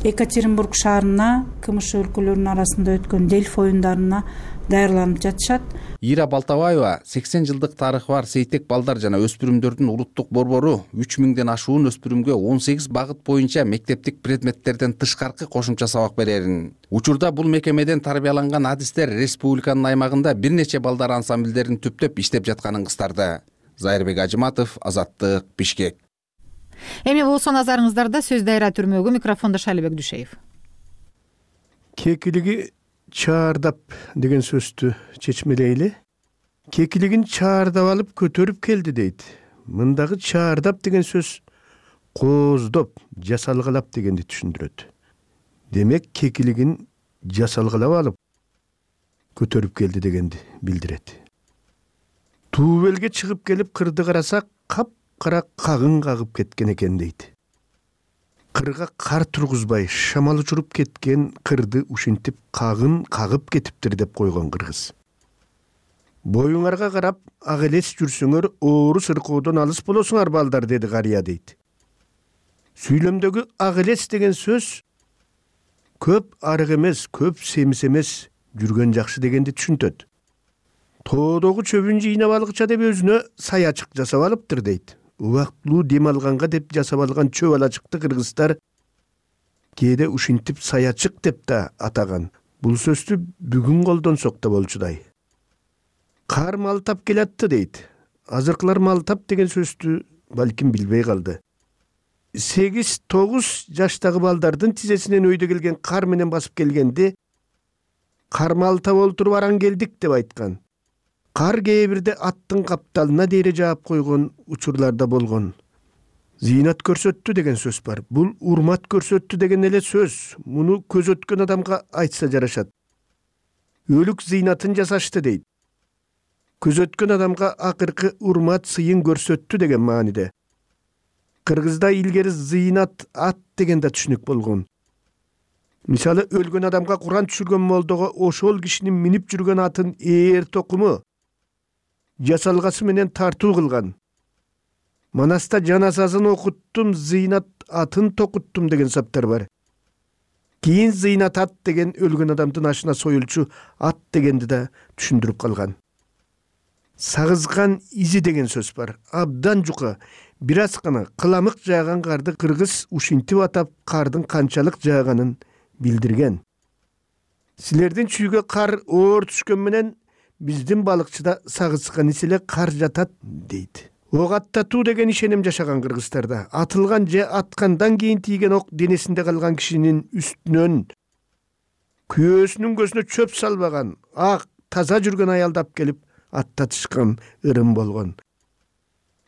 Екатеринбург шаарына, КМШ өлкөлөрүнүн арасында өткөн Дельфи оюндарына даярланып жатышат. Ира Балтабаева 80 жылдык тарыхы бар Сейтек балдар жана өспүрүмдөрдүн улуттук борбору 3000ден ашуун өспүрүмгө 18 багыт боюнча мектептик предметтерден тышкаркы кошумча сабак берерин. Учурда бул мекемеден тарбияланган адистер республиканын аймагында бир нече балдар ансамбльдерин түптөп иштеп жатканын кыстарды. Зайырбек Ажыматов, Азаттык, Бишкек. Эми болсо назарыңыздарда сөз дайра түрмөгү, микрофондо Шалибек Дүшеев. Кекилиги чаардап деген сөздү чечмелейли. Кекилигин чаардап алып көтөрүп келди дейт. Мындагы чаардап деген сөз кооздоп, жасалгалап дегенди түшүндүрөт. Демек кекилигин жасалгалап алып көтөрүп келди дегенди билдирет. Туубелге чыгып келип кырды карасак, кара кагын кагып кеткен экен дейт. Кырга кар тургузбай шамал учуруп кеткен кырды ушинтип кагын кагып кетиптир деп койгон кыргыз. Боюңарга карап ак элес жүрсөңөр оору сыркоодон алыс болосуңар балдар, деди карыя дейт. Сүйлөмдөгү ак элес деген сөз көп арык эмес, көп семиз эмес, жүргөн жакшы дегенди түшүнтөт. Тоодогу чөбүн жыйнап алгыча деп өзүнө саячык жасап алыптыр дейт. Убактылуу дем алганга деп жасап алган чөп алачыкты кыргыздар кээде ушинтип саячык деп да атаган. Бул сөздү бүгүн колдонсок да болчудай. Кар малтап келатты дейт. Азыркылар малтап деген сөздү балким билбей калды. 8-9 жаштагы балдардын тизесинен өйдө келген кар менен басып келгенде кар малтап олтуруп аран келдик деп айткан. Кар кээ бирде аттын капталына дейре жаап койгон учурларда болгон. Зыйнат көрсөттү деген сөз бар. Бул урмат көрсөттү деген эле сөз. Муну көз өткөн адамга айтса жарашат. Өлүк зыйнатын жасашты дейт. Көз өткөн адамга акыркы урмат сыйын көрсөттү деген мааниде. Кыргызда илгери зыйнат ат деген да түшүнүк болгон. Мисалы өлгөн адамга Куран түшүргөн молдого ошол кишинин минип жүргөн атын ээр токуму жасалгасы менен тартуу кылган. Манаста жаназасын окуттум, зыйнат атын токуттум деген саптар бар. Кийин зыйнат ат деген өлгөн адамдын ашына союлчу ат дегенди да түшүндүрүп калган. Сагызган изи деген сөз бар. Абдан жука, бир аз гана кыламык жааган карды кыргыз ушинтип атап кардын канчалык жааганын билдирген. Силердин чүйгө кар оор түшкөн менен биздин балыкчыда сагызган иселе кар жатат дейт. Ок аттатуу деген ишеним жашаган кыргыздарда. Атылган же аткандан кийин тийген ок денесинде калган кишинин үстүнөн күйөөсүнүн көзүнө чөп салбаган, ак таза жүргөн аялды алып келип аттатышкан ырым болгон.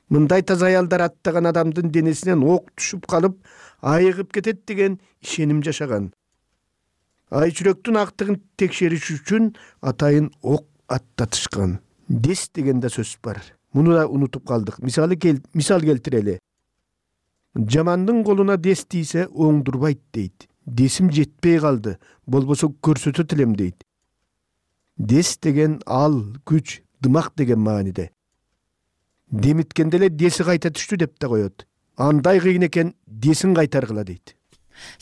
мындай таза аялдар аттаган адамдын денесинен ок түшүп калып айыгып кетет деген ишеним жашаган. Ай жүрөктүн актыгын текшериш үчүн атайын ок аттатышкан. Дес деген да сөз бар. Муну да унутуп калдык. Мисал келтирели. Жамандын колуна дес тийсе оңдурбайт дейт. Десим жетпей калды, болбосо көрсөтөт элем дейт. Дес деген ал, күч, дымак деген мааниде. Демиткенде эле деси кайта түштү деп да коет. Андай кыйын экен, десин кайтаргыла дейт.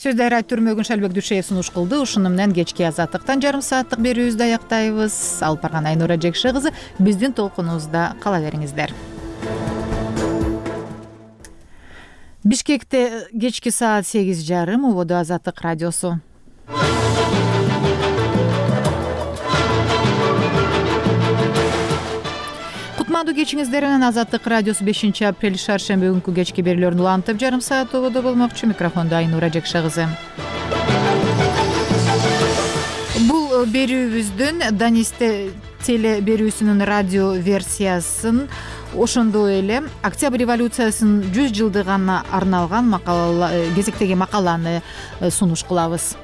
Сөздү айрат Түрмөгүн Шалбек Дүшеев сунуш кылды. Ушуну менен кечки азаттыктан жарым сааттык берүүбүздү аяктайбыз. Алып барган Айнура Жекше кызы, биздин толкунубузда кала бериңиздер. Бишкекте кечки саат 8:30 убоду Азаттык радиосу. Кутмандуу кечиңиздер менен Азаттык радиосу 5-апрель шаршемби күнкү кечки берүүлөрүн улантып жарым саат убоду болмокчу. Микрофондо Айнура Жекше кызы. Бул берүүбүздүн Данисте теле берүүсүнүн радио версиясын, ошондой эле Октябрь революциясынын 100 жылдыгына арналган кезектеги макаланы сунуш кылабыз.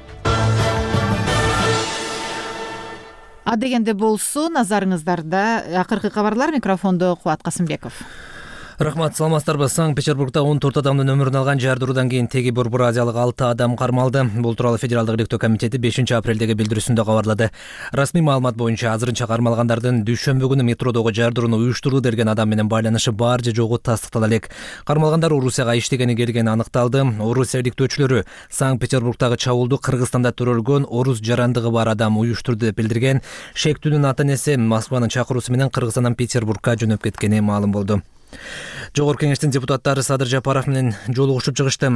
Адегенде болсо, назарыңыздарда акыркы кабарлар. Микрофондо Кубат Касымбеков. Рахмат, саламатсыздарбы. Санкт-Петербургда 14 адамдын өмүрүн алган жардыруудан кийин теги Бурбуразиялык 6 адам кармалды. Бул тууралуу Федералдык иликтөө комитети 5-апрелдеги билдирүүсүндө кабарлады. Расмий маалымат боюнча азырынча кармалгандардын дүйшөмбү күнү метродогу жардырууну уюштурду деген адам менен байланышы бар же жогу тастыктала элек. Кармалгандар Орусияга иштегени келгени аныкталды. Орусия иликтөөчүлөрү Санкт-Петербургдагы чабуулду Кыргызстанда төрөлгөн орус жарандыгы бар адам уюштурду деп билдирген. Шектүүнүн ата-энеси Москванын чакыруусу менен Кыргызстандан Петербургга жөнөп кеткени маалым болду. Жогорку кеңештин депутаттары Садыр Жапаров менен жолугушуп чыгышты.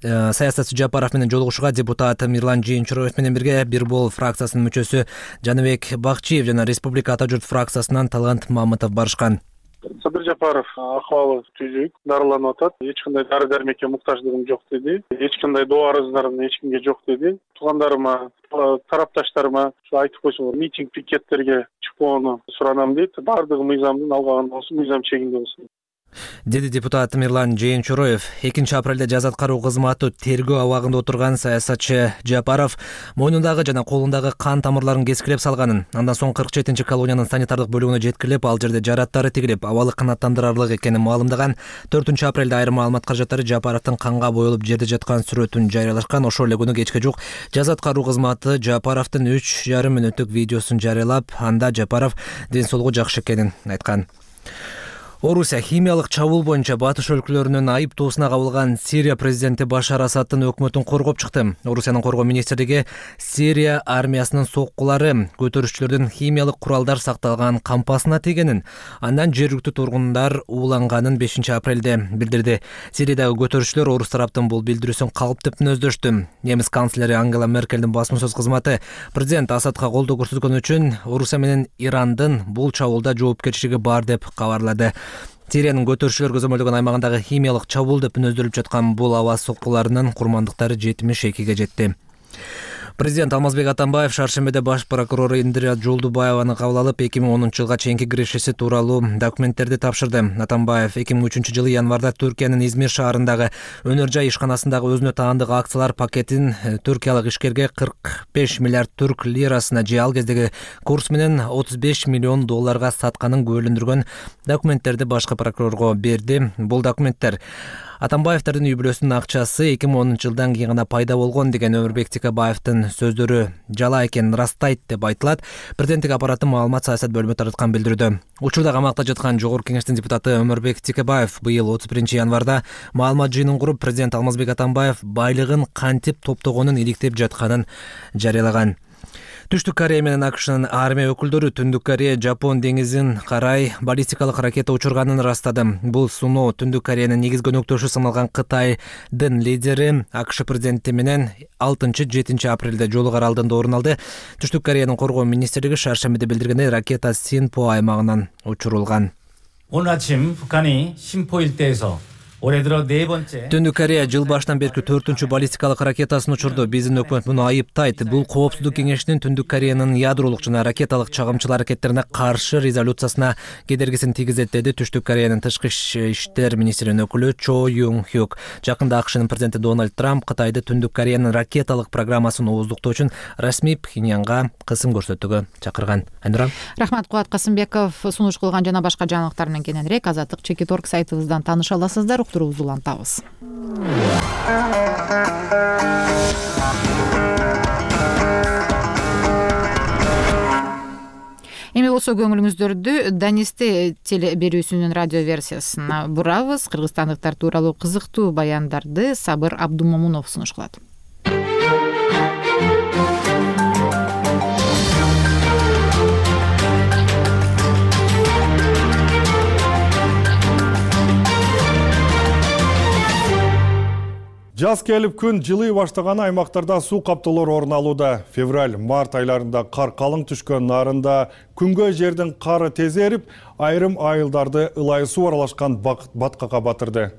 Саясатчы Жапаров менен жолугушууга депутат Мирлан Жээнчуроев менен бирге Бир бол фракциясынын мүчөсү Жаныбек Бакчиев жана Республика Ата журт фракциясынан Талгант Мамытов барышкан. Садыр Жапаров акыбалы түзүк, дарыланып атат. Эч кандай дары дармекке муктаждыгым жок деди. Эч кандай доо арыздарым эч кимге жок деди. Туугандарыма, тарапташтарыма айтып койсоңор, митинг, пикеттерге чыкпоону суранам дейт. Бардыгы мыйзамдын алган болсун, мыйзам чегинде болсун, деди депутат Мирлан Жээнчуроев. 2-апрелде жаза аткаруу кызматы тергөө абагында отурган саясатчы Жапаров мойнундагы жана колундагы кан тамырларын кескилеп салганын, андан соң 47-чи колониянын санитардык бөлүгүнө жеткирип, ал жерде жараттары тигилип, абалы канааттандырарлык экенин маалымдаган. 4-апрелде айрым маалымат каражаттары Жапаровдун канга боелуп жерде жаткан сүрөтүн жарыялашкан. Ошол эле күнү кечке жук жаза аткаруу кызматы Жапаровдун 3,5 мүнөттүк видеосун жарыялап, анда Жапаров ден соолугу жакшы экенин айткан. Орусия химиялык чабуул боюнча батыш өлкөлөрүнүн айыптоосуна кабылган Сирия президенти Башар Асаддын өкмөтүн коргоп чыкты. Орусиянын коргоо министрлиги Сирия армиясынын соккулары көтөрүшчүлөрдүн химиялык куралдар сакталган кампасына тийгенин, андан жергиликтүү тургундар ууланганын 5-апрелде билдирди. Сириядагы көтөрүшчүлөр орус тараптын бул билдирүүсүн калп деп мүнөздөштү. Немис канцлери Ангела Меркелдин басма сөз кызматы президент Асадка колдоо көрсөткөн үчүн Орусия менен Ирандын бул чабуулда жоопкерчилиги бар деп кабарлады. Сириянын көтөрүшчүлөр көзөмөлдөгөн аймагындагы химиялык чабуул деп мүнөздөлүп жаткан бул аба соккуларынын курмандыктары 72-ге жетти. Президент Алмазбек Атамбаев шаршембиде баш прокурор Индира Жолдубаеваны кабыл алып, 2010-жылга чейинки кирешеси тууралуу документтерди тапшырды. Атамбаев 2003-жылы январда Түркиянын Измир шаарындагы өнөр жай ишканасындагы өзүнө таандык акциялар пакетин түркиялык ишкерге 45 миллиард түрк лирасына же ал кездеги курс менен 35 миллион долларга сатканын күбөлөндүргөн документтерди башкы прокурорго берди. Бул документтер Атамбаевдин үй бүлөсүнүн акчасы 2010-жылдан кийин гана пайда болгон деген Өмүрбек Текебаевдин сөздөрү жала экенин ырастайт деп айтылат. Президенттик аппараттын маалымат саясат бөлүмү тараткан билдирүүдө. Учурда камакта жаткан Жогорку кеңештин депутаты Өмүрбек Текебаев быйыл 31-январда маалымат жыйынын куруп, президент Алмазбек Атамбаев байлыгын кантип топтогонун иликтеп жатканын жарыялаган. Түштүк Корея менен АКШнын армия өкүлдөрү Түндүк Корея Жапон деңизин карай баллистикалык ракета учурганын ырастады. Бул суноо Түндүк Кореянын негизги өнөктөшү саналган Кытайдын лидери АКШ президенти менен 6-7 апрелде Жолук аралында орун алды. Түштүк Кореянын коргоо министрлиги шаршембиде билдиргендей, ракета Синпо аймагынан учурулган. 오늘 아침 북한이 심포 일대에서 Түндүк Корея жыл башынан берки 4-чү баллистикалык ракетасын учурду. Биздин өкмөт муну айыптайт. Бул Коопсуздук кеңешинин Түндүк Кореянын ядролук жана ракеталык чагымчыл аракеттерине каршы резолюциясына кедергисин тийгизет, деди Түштүк Кореянын тышкы иштер министринин өкүлү Чо Юн Хюк. Жакында АКШнын президенти Дональд Трамп Кытайды Түндүк Кореянын ракеталык программасын ооздуктоо үчүн расмий Пхеньянга кысым көрсөтүүгө чакырган. Айнура. Рахмат, Кубат Касымбеков. Сунуш кылган жана башка жаңылыктар менен кененирээк Азаттык Чекиторг сайтыбыздан тааныша аласыздар. Уктуруубузду улантабыз. Эми болсо көңүлүңүздөрдү Данисте телеберүүсүнүн радио версиясына бурабыз. Кыргызстандыктар тууралуу кызыктуу баяндарды Сабыр Абдумомунов сунуш кылат. Жаз келип күн жылый баштаган аймактарда суу каптоолор орун алууда. Февраль-март айларында кар калың түшкөн нарында күнгө жердин кары тез эрип, айрым айылдарды ылайы суу аралашкан баткакка батырды.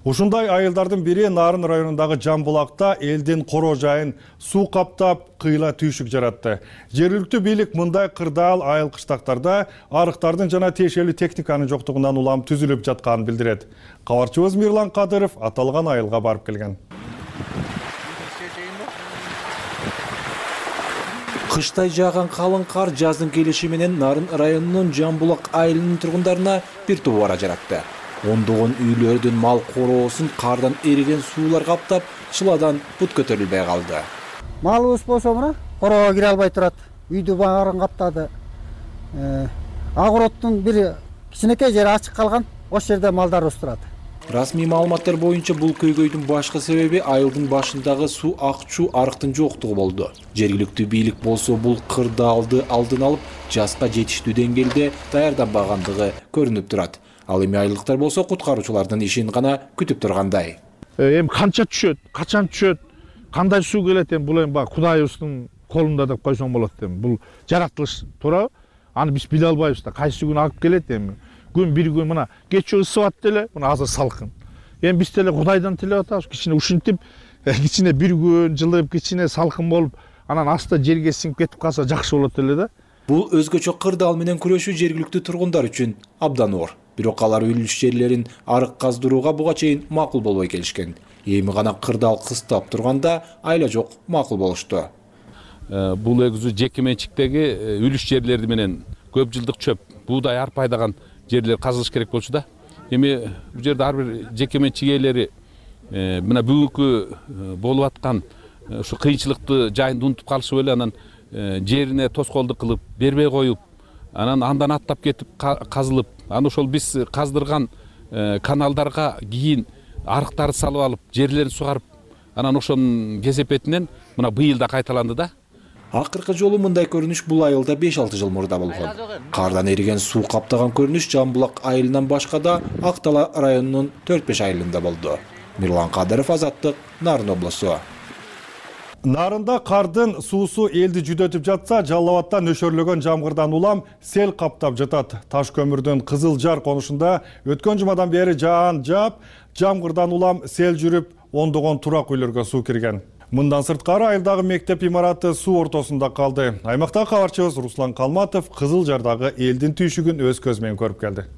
Ушундай айылдардын бири Нарын районундагы Жамбулакта элдин короо жайын суу каптап, кыйла түйшүк жаратты. Жергиликтүү бийлик мындай кырдаал айыл кыштактарда арыктардын жана тиешелүү техниканын жоктугунан улам түзүлүп жатканын билдирет. Кабарчыбыз Мирлан Кадыров аталган айылга барып келген. Кыштай жааган калың кар жаздын келиши менен Нарын районунун Жамбулак айылынын тургундарына бир тубара жаратты. Ондогон үйлөрдүн мал короосун кардан эриген суулар каптап, чыладан бут көтөрүлбөй калды. Малыбыз болсо мына короого кире албай турат. Үйдү баарын каптады. Агороттун бир кичинекей жери ачык калган. Ошол жерде малдарыбыз турат. Расмий маалыматтар боюнча бул көйгөйдүн башкы себеби айылдын башындагы суу акчуу арыктын жоктугу болду. Жергиликтүү бийлик болсо бул кырдаалды алдын алып, жазга жетиштүү деңгээлде даярданбагандыгы көрүнүп турат. Ал эми айылдыктар болсо куткаруучулардын ишин гана күтүп тургандай. Эми канча түшөт, качан түшөт, кандай суу келет, эми бул эми баягы Кудайыбыздын колунда деп койсоң болот эми. Бул жаратылыш туурабы? Аны биз биле албайбыз да, кайсы күн агып келет эми. Күн бир күн мына кечээ ысып атты эле, мына азыр салкын. Эми биз деле Кудайдан тилеп атабыз, кичине ушинтип, кичине бир күн жылып, кичине салкын болуп, анан асты жерге сиңип кетип калса жакшы болот эле да. Бул өзгөчө кырдаал менен күрөшүү жергиликтүү тургундар үчүн абдан оор. Бирок алар үлүш жерлерин арык каздырууга буга чейин макул болбой келишкен. Эми гана кырдаал кыстап турганда айла жок макул болушту. Бул эгүзү жеке менчиктеги үлүш жерлери менен көп жылдык чөп, буудай, арпа айдаган жерлер казылыш керек болчу да. Эми бул жерде ар бир жеке менчик ээлери мына бүгүнкү болуп аткан ушу кыйынчылыкты жайында унутуп калышып эле анан жерине тоскоолдук кылып, бербей коюп, андан аттап кетип казылып, аны ошол биз каздырган каналдарга кийин арыктарды салып алып, жерлерин сугарып, анан ошонун кесепетинен мына быйыл да кайталанды да. Акыркы жолу мындай көрүнүш бул айылда 5-6 жыл мурда болгон. Кардан эриген суу каптаган көрүнүш Жамбулак айылынан башка да Ак Дала районунун 4-5 айылында болду. Мирлан Кадыров, Азаттык, Нарын облусу. Нарында кардын суусу элди жүдөтүп жатса, Жалал Абадта нөшөрлөгөн жамгырдан улам сел каптап жатат. Таш көмүрдүн Кызыл Жар конушунда өткөн жумадан бери жаан жаап, жамгырдан улам сел жүрүп, ондогон турак үйлөргө суу кирген. Мындан сырткары айылдагы мектеп имараты суу ортосунда калды. Аймактагы кабарчыбыз Руслан Калматов Кызыл Жардагы элдин түйшүгүн өз көзү менен көрүп келди.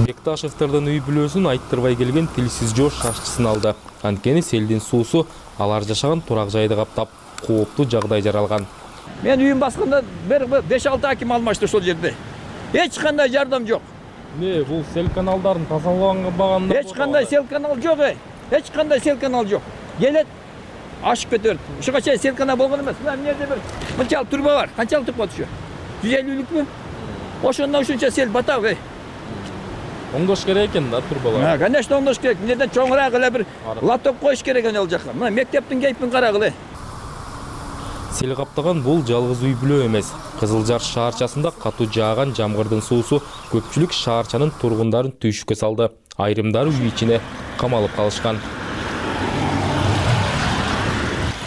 Бекташевтердин үй бүлөсүн айттырбай келген тилсиз жош шашчысын алды. Анткени селдин суусу алар жашаган турак жайды каптап, кооптуу жагдай жаралган. Мен үйүм басканда 5-6 аким алмашты ошол жерде. Эч кандай жардам жок. Бул сел каналдарын тазаланбаганда эч кандай сел канал жок. Эч кандай сел канал жок. Келет, ашып кетет. Ушуга чейин сел канал болгон эмес. Мына жерде бир мынчалык турба бар. Канчалык турба түшө? 150-лүкпү? Ошондон ушунча сел батабы. Оңдош керек экен да турбалар. Конечно, оңдош керек. Эмнеден чоңураак эле бир лоток коюш керек ал жака. Мына мектептин кейпин карагыла. Сел каптаган бул жалгыз үй бүлө эмес. Кызыл Жар шаарчасында катуу жааган жамгырдын суусу көпчүлүк шаарчанын тургундарын түйшүккө салды. Айрымдары үй ичине камалып калышкан.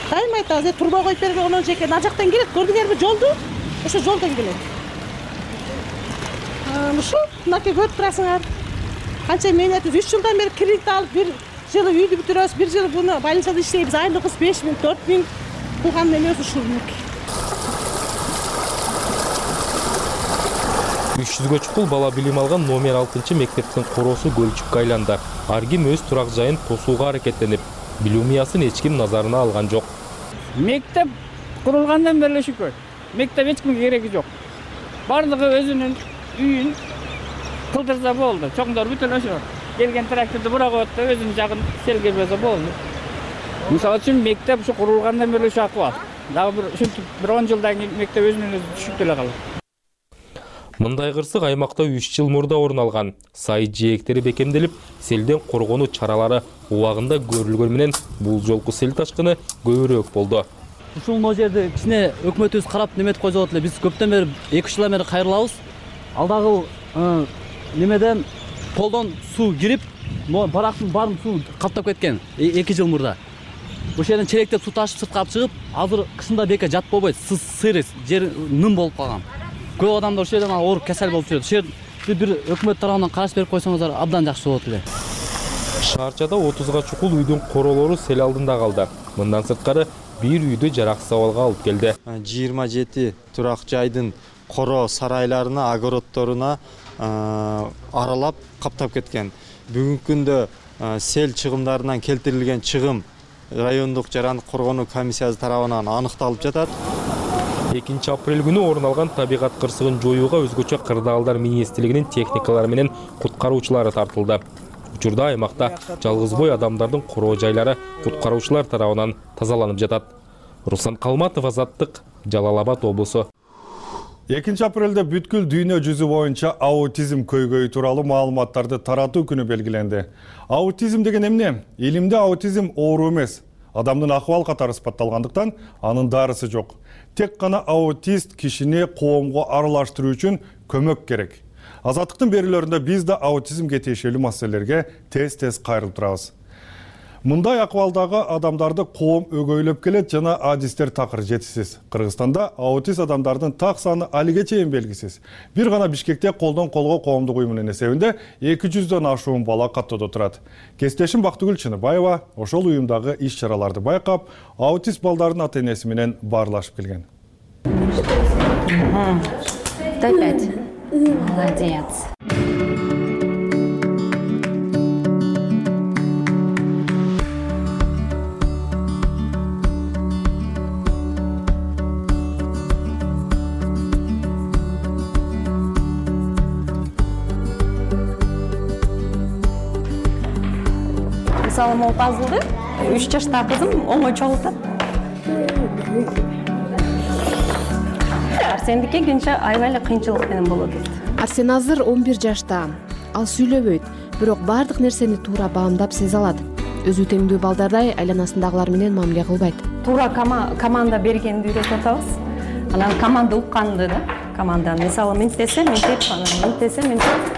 Кайым айтабыз, турба коюп берген онон жеке ар жактан келет. Көрдүңөрбү жолду? Ошо жолдон келет. ушу мынакей көрүп турасыңар. Канча мээнетибиз 3 жылдан бери кредит алып, бир жылы үйдү бүтүрөбүз, бир жыл буну больницада иштейбиз. Айлыгыбыз 5 000, 4 000 кылган эмес ушул мынакей. 300-гө чукул бала билим алган номер 6 мектептин короосу көлчүккө айланды. Ар ким өз турак жайын тосууга аракеттенип, билүү мыясын эч ким назарына алган жок. Мектеп курулгандан бери шүкүр. Мектеп эч кимге кереги жок. Бардыгы өзүнүн үйүн кылдырса болду. Чоңдор бүтүн ошо. Келген тракторду бура коет да өзүнүн жагын селгебесе болду. Мисалы үчүн мектеп ушу курулгандан бери ушу акыбал. Дагы бир ушинтип бир 10 жылдан кийин мектеп өзүнөн өзү түшүп деле калат. Мындай кырсык аймакта 3 жыл мурда орун алган. Сай жээктери бекемделип, селден коргонуу чаралары убагында көрүлгөн менен бул жолку сел ташкыны көбүрөөк болду. Ушул жерди кичине өкмөтүбүз карап неметип койсо болот эле. Биз көптөн бери 2 жылдан бери кайрылабыз. Алдагы немеден толдон суу кирип, барактын баарын суу каптап кеткен 2 жыл мурда. Ошол жерден черектеп суу ташып сыртка алып чыгып, азыр кышында бека жат болбойт, сырыс, жер ным болуп калган. Көп адамдар ошол жерден ооруп кесел болуп жүрөт. Ошол жерди бир өкмөт тарабынан караш берип койсоңуздар абдан жакшы болот эле. Шаарчада 30га чукул үйдүн королору сел алдында калды. Мындан сырткары бир үйдү жараксыз абалга алып келди. 27 турак жайдын коро сарайларына, огородторуна аралап каптап кеткен. Бүгүнкү күндө сел чыгымдарынан келтирилген чыгым райондук жарандык коргонуу комиссиясы тарабынан аныкталып жатат. 2 апрель күнү орун алган табигат кырсыгын жоюуга өзгөчө кырдаалдар министрлигинин техникалары менен куткаруучулары тартылды. Учурда аймакта жалгыз бой адамдардын короо жайлары куткаруучулар тарабынан тазаланып жатат. Руслан Калматов, Азаттык, Жалал Абад облусу. 2 апрелде бүткүл дүйнө жүзү боюнча аутизм көйгөйү тууралуу маалыматтарды таратуу күнү белгиленди. Аутизм деген эмне? Илимде аутизм оору эмес. Адамдын акыбал катары сыпатталгандыктан анын дарысы жок. Тек гана аутист кишини коомго аралаштыруу үчүн көмөк керек. Азаттыктын берүүлөрүндө биз да аутизмге тиешелүү маселелерге тез кайрылып турабыз. Мындай акыбалдагы адамдарды коом өгөйлөп келет жана адистер такыр жетишсиз. Кыргызстанда аутист адамдардын так саны алиге чейин белгисиз. Бир гана Бишкекте колдон колго коомдук уюмунун эсебинде 200дөн ашуун бала каттоодо турат. Кесиптешим Бактыгүл Чыныбаева ошол уюмдагы иш-чараларды байкап, аутист балдардын ата-энеси менен баарлашып келген. Дай 5. Молодец. Мысалы, мол пазлды 3 жаштағы қызым оңой чогултат. Арсендикке кенже аябай эле кыйынчылык менен болот. Арсен азыр 11 жашта. Ал сүйлөбөйт, бирок бардык нерсени туура баамдап сезе алат. Өзү теңдүү балдардай айланасындагылар менен мамиле кылбайт. Туура команда бергенди үйрөтүп атабыз. Анан команда укканды да. Команда мисалы мынтип десе, мынтип, мынтип десе, мынтип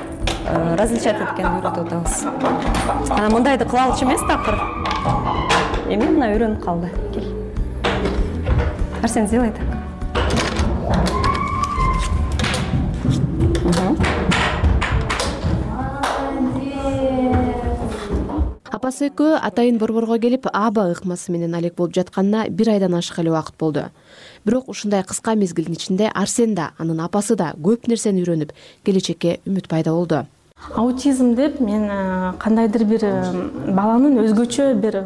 различать эткенди үйрөтүп атабыз. Анан мындайды кыла алчу эмес такыр. Эми мына үйрөнүп калды. Кел. Арсен, сделай так. Апасы экөө атайын борборго келип, аба ыкмасы менен алек болуп жатканына 1 айдан ашык эле убакыт болду. Бирок ушундай кыска мезгилдин ичинде Арсен да, анын апасы да көп нерсени үйрөнүп, келечекке үмүт пайда болду. Аутизм деп мен кандайдыр бир баланын өзгөчө бир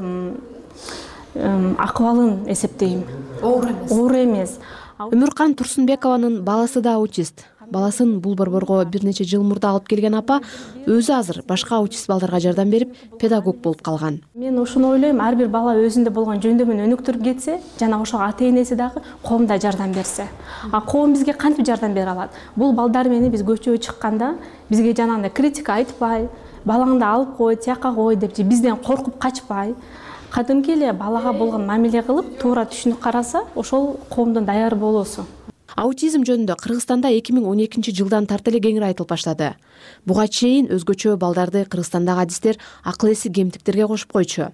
акыбалын эсептейм. Оор эмес. Өмүркан Турсунбекованын баласы да аутист. Баласын бул борборго бир нече жыл мурда алып келген апа өзү азыр башка аутист балдарга жардам берип, педагог болуп калган. Мен ошону ойлойм, ар бир бала өзүндө болгон жөндөмүн өнүктүрүп кетсе, жана ошо ата-энеси дагы коомда жардам берсе. А коом бизге кантип жардам бере алат? Бул балдар менен биз көчөгө чыкканда бизге жанагындай критика айтпай, балаңды алып кой, тияка кой деп же бизден коркуп качпай, кадимки эле балага болгон мамиле кылып, туура түшүнүп караса, ошол коомдун даяр болуусу. Аутизм жөнүндө Кыргызстанда 2012 жылдан тарта эле кеңири айтылып баштады. Буга чейин өзгөчө балдарды Кыргызстандагы адистер акыл эси кемтиктерге кошуп койчу.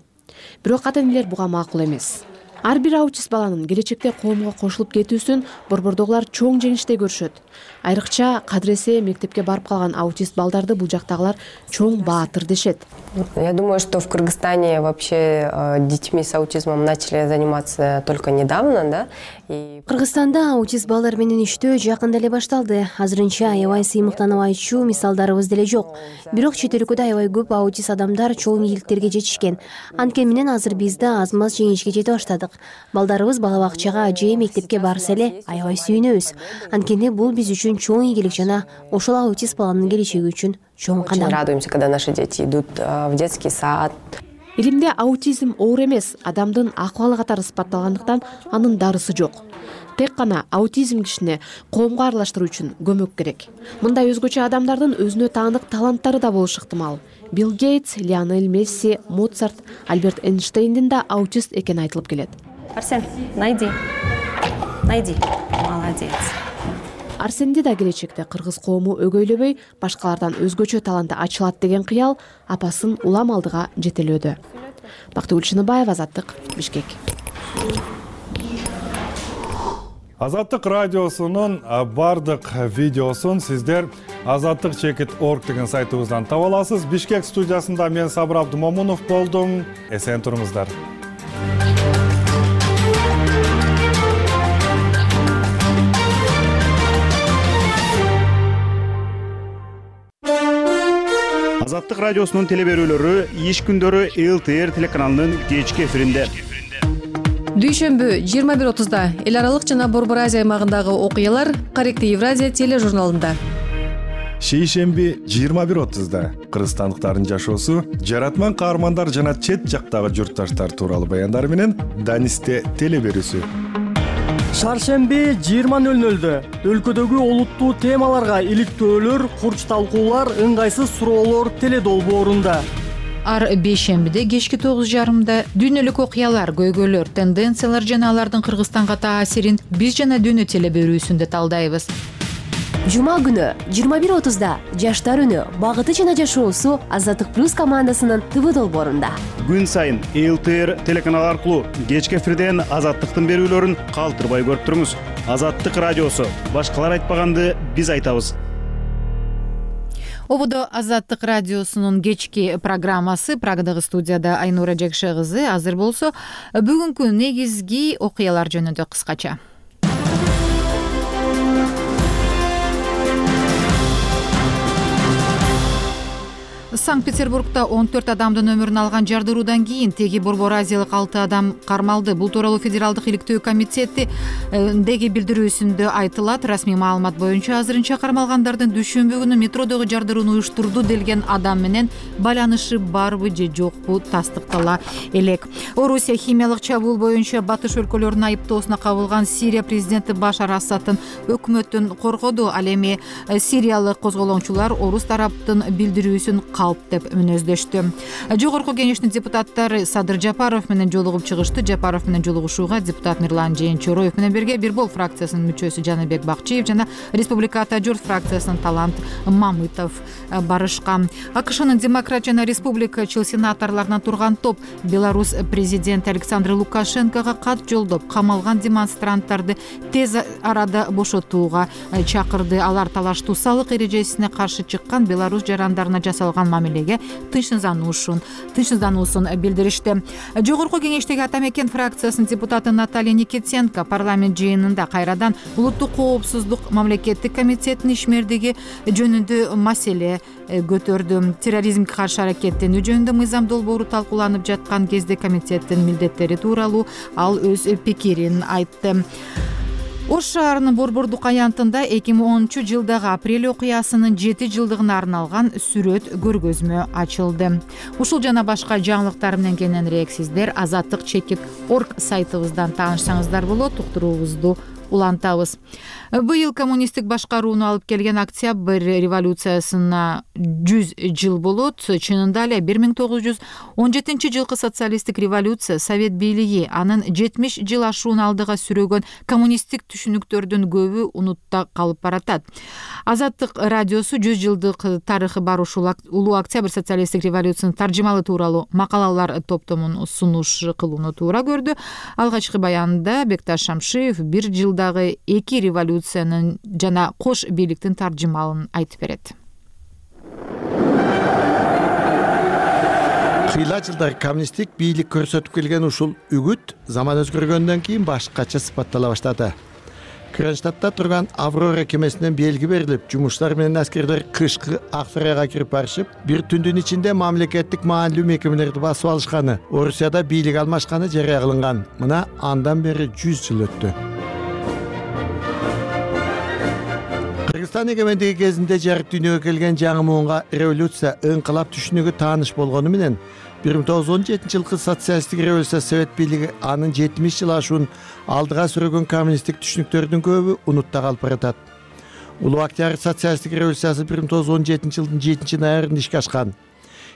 Бирок ата-энелер буга макул эмес. Ар бир аутист баланын келечекте коомго кошулуп кетүүсүн борбордогулар чоң жеңиштей көрүшөт. Айрыкча кадыресе мектепке барып калган аутист балдарды бул жактагылар чоң баатыр дешет. Я думаю, что в Кыргызстане вообще детьми с аутизмом начали заниматься только недавно, да? Кыргызстанда аутист балдар менен иштөө жакында эле башталды. Азырынча аябай сыймыктанып айтчу мисалдарыбыз деле жок. Бирок чет өлкөдө аябай көп аутист адамдар чоң ийгиликтерге жетишкен. Анткени менен азыр биз да аз-маз жеңишке жете баштадык. Балдарыбыз бала бакчага же мектепке барса эле аябай сүйүнөбүз. Анткени бул биз үчүн чоң ийгилик жана ошол аутист баланын келечеги үчүн чоң кадам. Очень радуемся, когда наши дети идут в детский сад. Илимде аутизм оор эмес, адамдын акыбалы катары сыпатталгандыктан анын дарысы жок. Тек гана аутизм кишини коомго аралаштыруу үчүн көмөк керек. Мындай өзгөчө адамдардын өзүнө таандык таланттары да болушу ыктымал. Билл Гейтс, Лионель Месси, Моцарт, Альберт Эйнштейндин да аутист экени айтылып келет. Арсен, найди. Молодец. Арсенди да келечекте кыргыз коому өгөйлөбөй, башкалардан өзгөчө таланты ачылат деген кыял апасын улам алдыга жетелөөдө. Бактыгүл Шыныбаева, Азаттык, Бишкек. Азаттык радиосунун бардык видеосун сиздер azattik.org деген сайтыбыздан таба аласыз. Бишкек студиясында мен Сабыр Абдымомунов болдум. Эсен туруңуздар. Азаттык радиосунун теле берүүлөрү иш күндөрү ЛТР телеканалынын кечки эфиринде. Дүйшөмбү 21:30 эл аралык жана Борбор Азия аймагындагы окуялар Корректив Евразия тележурналында. Шейшемби 21:30 кыргызстандыктардын жашоосу, жаратман каармандар жана чет жактагы журтташтар тууралуу баяндар менен Данисте теле берүүсү. Шаршемби 20:00 өлкөдөгү олуттуу темаларга иликтөөлөр, курч талкуулар, ыңгайсыз суроолор теле долбоорунда. Ар бейшембиде кечки 9:30 дүйнөлүк окуялар, көйгөйлөр, тенденциялар жана алардын Кыргызстанга таасирин биз жана дүйнө теле берүүсүндө талдайбыз. Жума күнү 21:30 жаштар үнү, багыты жана жашоосу Азаттык плюс командасынын ТВ долбоорунда. Күн сайын ЛТР телеканалы аркылуу кечки эфирден Азаттыктын берүүлөрүн калтырбай көрүп туруңуз. Азаттык радиосу, башкалар айтпаганды биз айтабыз. Ободо Азаттык радиосунун кечки программасы, Прагадагы студияда Айнура Жекше кызы. Азыр болсо бүгүнкү негизги окуялар жөнүндө кыскача. Санкт-Петербургда 14 адамдын өмүрүн алган жардыруудан кийин теги Борбор Азиялык 6 адам кармалды. Бул тууралуу Федералдык иликтөө комитетиндеги билдирүүсүндө айтылат. Расмий маалымат боюнча азырынча кармалгандардын дүйшөмбү күнү метродогу жардырууну уюштурду делген адам менен байланышы барбы же жокпу тастыктала элек. Орусия химиялык чабуул боюнча батыш өлкөлөрүнүн айыптоосуна кабылган Сирия президенти Башар Асадтын өкмөтүн коргоду. Ал эми сириялык козголоңчулар орус тараптын билдирүүсүн калп деп мүнөздөштү. Жогорку кеңештин депутаттары Садыр Жапаров менен жолугуп чыгышты. Жапаров менен жолугушууга депутат Мирлан Жээнчороев менен бирге Бир Бол фракциясынын мүчөсү Жаныбек Бакчиев жана Республика Ата Журт фракциясынын Талант Мамытов барышкан. АКШнын Демократ жана Республикачыл сенаторлорунан турган топ Беларусь президенти Александр Лукашенкого кат жолдоп, камалган демонстранттарды тез арада бошотууга чакырды. Алар талаштуу салык эрежесине каршы чыккан Беларусь жарандарына жасалган мамилеге тынчсыздануусун билдиришти. Жогорку кеңештеги Ата Мекен фракциясынын депутаты Наталья Никитенко парламент жыйынында кайрадан улуттук коопсуздук мамлекеттик комитетинин ишмердиги жөнүндө маселе көтөрдү. Терроризмге каршы аракеттенүү жөнүндө мыйзам долбоору талкууланып жаткан кезде комитеттин милдеттери тууралуу ал өз пикирин айтты. Ош шаарынын Борбордук аянтында 2010-жылдагы апрель окуясынын 7 жылдыгына арналган сүрөт көргөзмө ачылды. Ушул жана башка жаңылыктар менен кененирээк сиздер azattik.org сайтыбыздан таанышсаңыздар болот. Уктуруубузду улантабыз. Быйыл коммунисттик башкарууну алып келген Октябрь революциясына 100 жыл болот. Чынында эле 1917-жылкы социалисттик революция, совет бийлиги анын 70 жыл ашуун алдыга сүрөгөн коммунисттик түшүнүктөрдүн көбү унутта калып баратат. Азаттык радиосу 100 жылдык тарыхы бар ушул улуу Октябрь социалисттик революциянын таржымалы тууралуу макалалар топтомун сунуш кылууну туура көрдү. Алгачкы баянында Бекташ Шамшиев 1 жылда жылдагы эки революциянын жана кош бийликтин таржымалын айтып берет. Кыйла жылдар коммунисттик бийлик көрсөтүп келген ушул үгүт заман өзгөргөндөн кийин башкача сыпаттала баштады. Кронштадтта турган Аврора кемесинен белги берилип, жумушчулар менен аскерлер кышкы Аксарайга кирип барышып, бир түндүн ичинде мамлекеттик маанилүү мекемелерди басып алышканы, Орусияда бийлик алмашканы жарыя кылынган. Мына андан бери 100 жыл өттү. Кыргызстан эгемендиги кезинде жарык дүйнөгө келген жаңы муунга революция, ыңкылап түшүнүгү тааныш болгону менен 1917 жылкы социалисттик революция совет бийлиги анын 70 жыл ашуун алдыга сүрөгөн коммунисттик түшүнүктөрдүн көбү унутта калып баратат. Улуу Октябрь социалисттик революциясы 1917 жылдын 7 ноябрында ишке ашкан.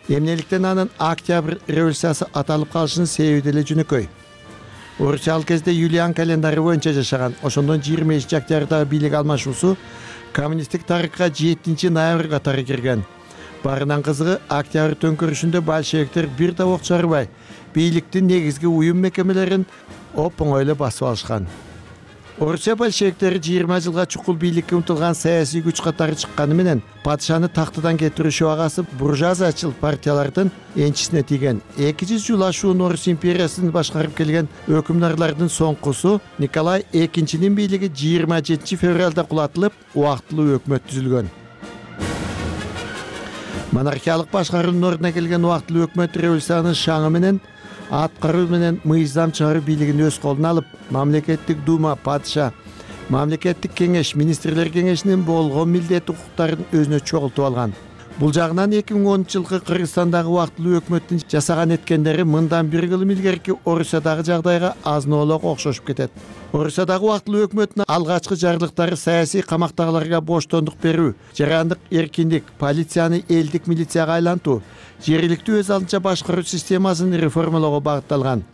Эмнеликтен анын Октябрь революциясы аталып калышынын себеби деле жөнөкөй. Орусия ал кезде Юлиан календары боюнча жашаган. Ошондон 25 октябрдагы бийлик алмашуусу коммунисттик тарыхка 7 ноябрь катары кирген. Барынан кызыгы, Октябрь төңкөрүшүндө большевиктер бир да ок чыгарбай, бийликтин негизги уюм мекемелерин оп-оңой эле басып алышкан. Орусия большевиктери 20 жылга чукул бийликке умтулган саясий күч катары чыкканы менен падышаны тактыдан кетирүү шабагасы буржуазиячыл партиялардын энчисине тийген. 200 жыл ашуун Орус империясын башкарып келген өкүмдарлардын соңкусу Николай II бийлиги 27 февралда кулатылып, убактылуу өкмөт түзүлгөн. Монархиялык башкаруунун ордуна келген убактылуу өкмөт революциянын шаңы менен аткаруу менен мыйзам чыгаруу бийлигин өз колуна алып, мамлекеттик дума, падыша, мамлекеттик кеңеш, министрлер кеңешинин болгон милдет укуктарын өзүнө чогултуп алган. Бул жагынан 2010 жылкы Кыргызстандагы убактылуу өкмөттүн жасаган эткендери мындан бир кылым илгерки Орусиядагы жагдайга азын-олок окшошуп кетет. Орусиядагы убактылуу өкмөттүн алгачкы жарлыктары саясий камактагыларга боштондук берүү, жарандык эркиндик, полицияны элдик милицияга айлантуу, жергиликтүү өз алдынча башкаруу системасын реформалоого багытталган.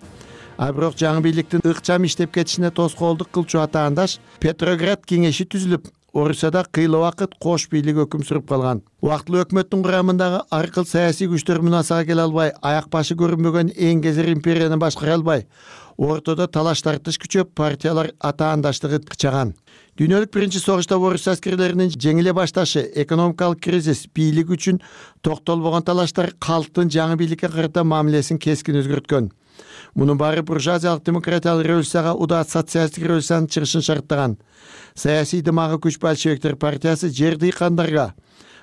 А бирок жаңы бийликтин ыкчам иштеп кетишине тоскоолдук кылчу атаандаш Петроград кеңеши түзүлүп, Орусияда кыйла убакыт кош бийлик өкүм сүрүп калган. Убактылуу өкмөттүн курамындагы ар кыл саясий күчтөр мунасага келе албай, аяк башы көрүнбөгөн эң кезер империяны башкара албай, ортодо талаш тартыш күчөп, партиялар атаандаштыгы кычаган. Дүйнөлүк биринчи согушта Орус аскерлеринин жеңиле башташы, экономикалык кризис, бийлик үчүн токтолбогон талаштар калктын жаңы бийликке карата мамилесин кескин өзгөрткөн. Мунун баары буржуазиялык демократиялык революцияга удат социалисттик революциянын чыгышын шарттаган. Саясий дымагы күч большевиктер партиясы жер дыйкандарга,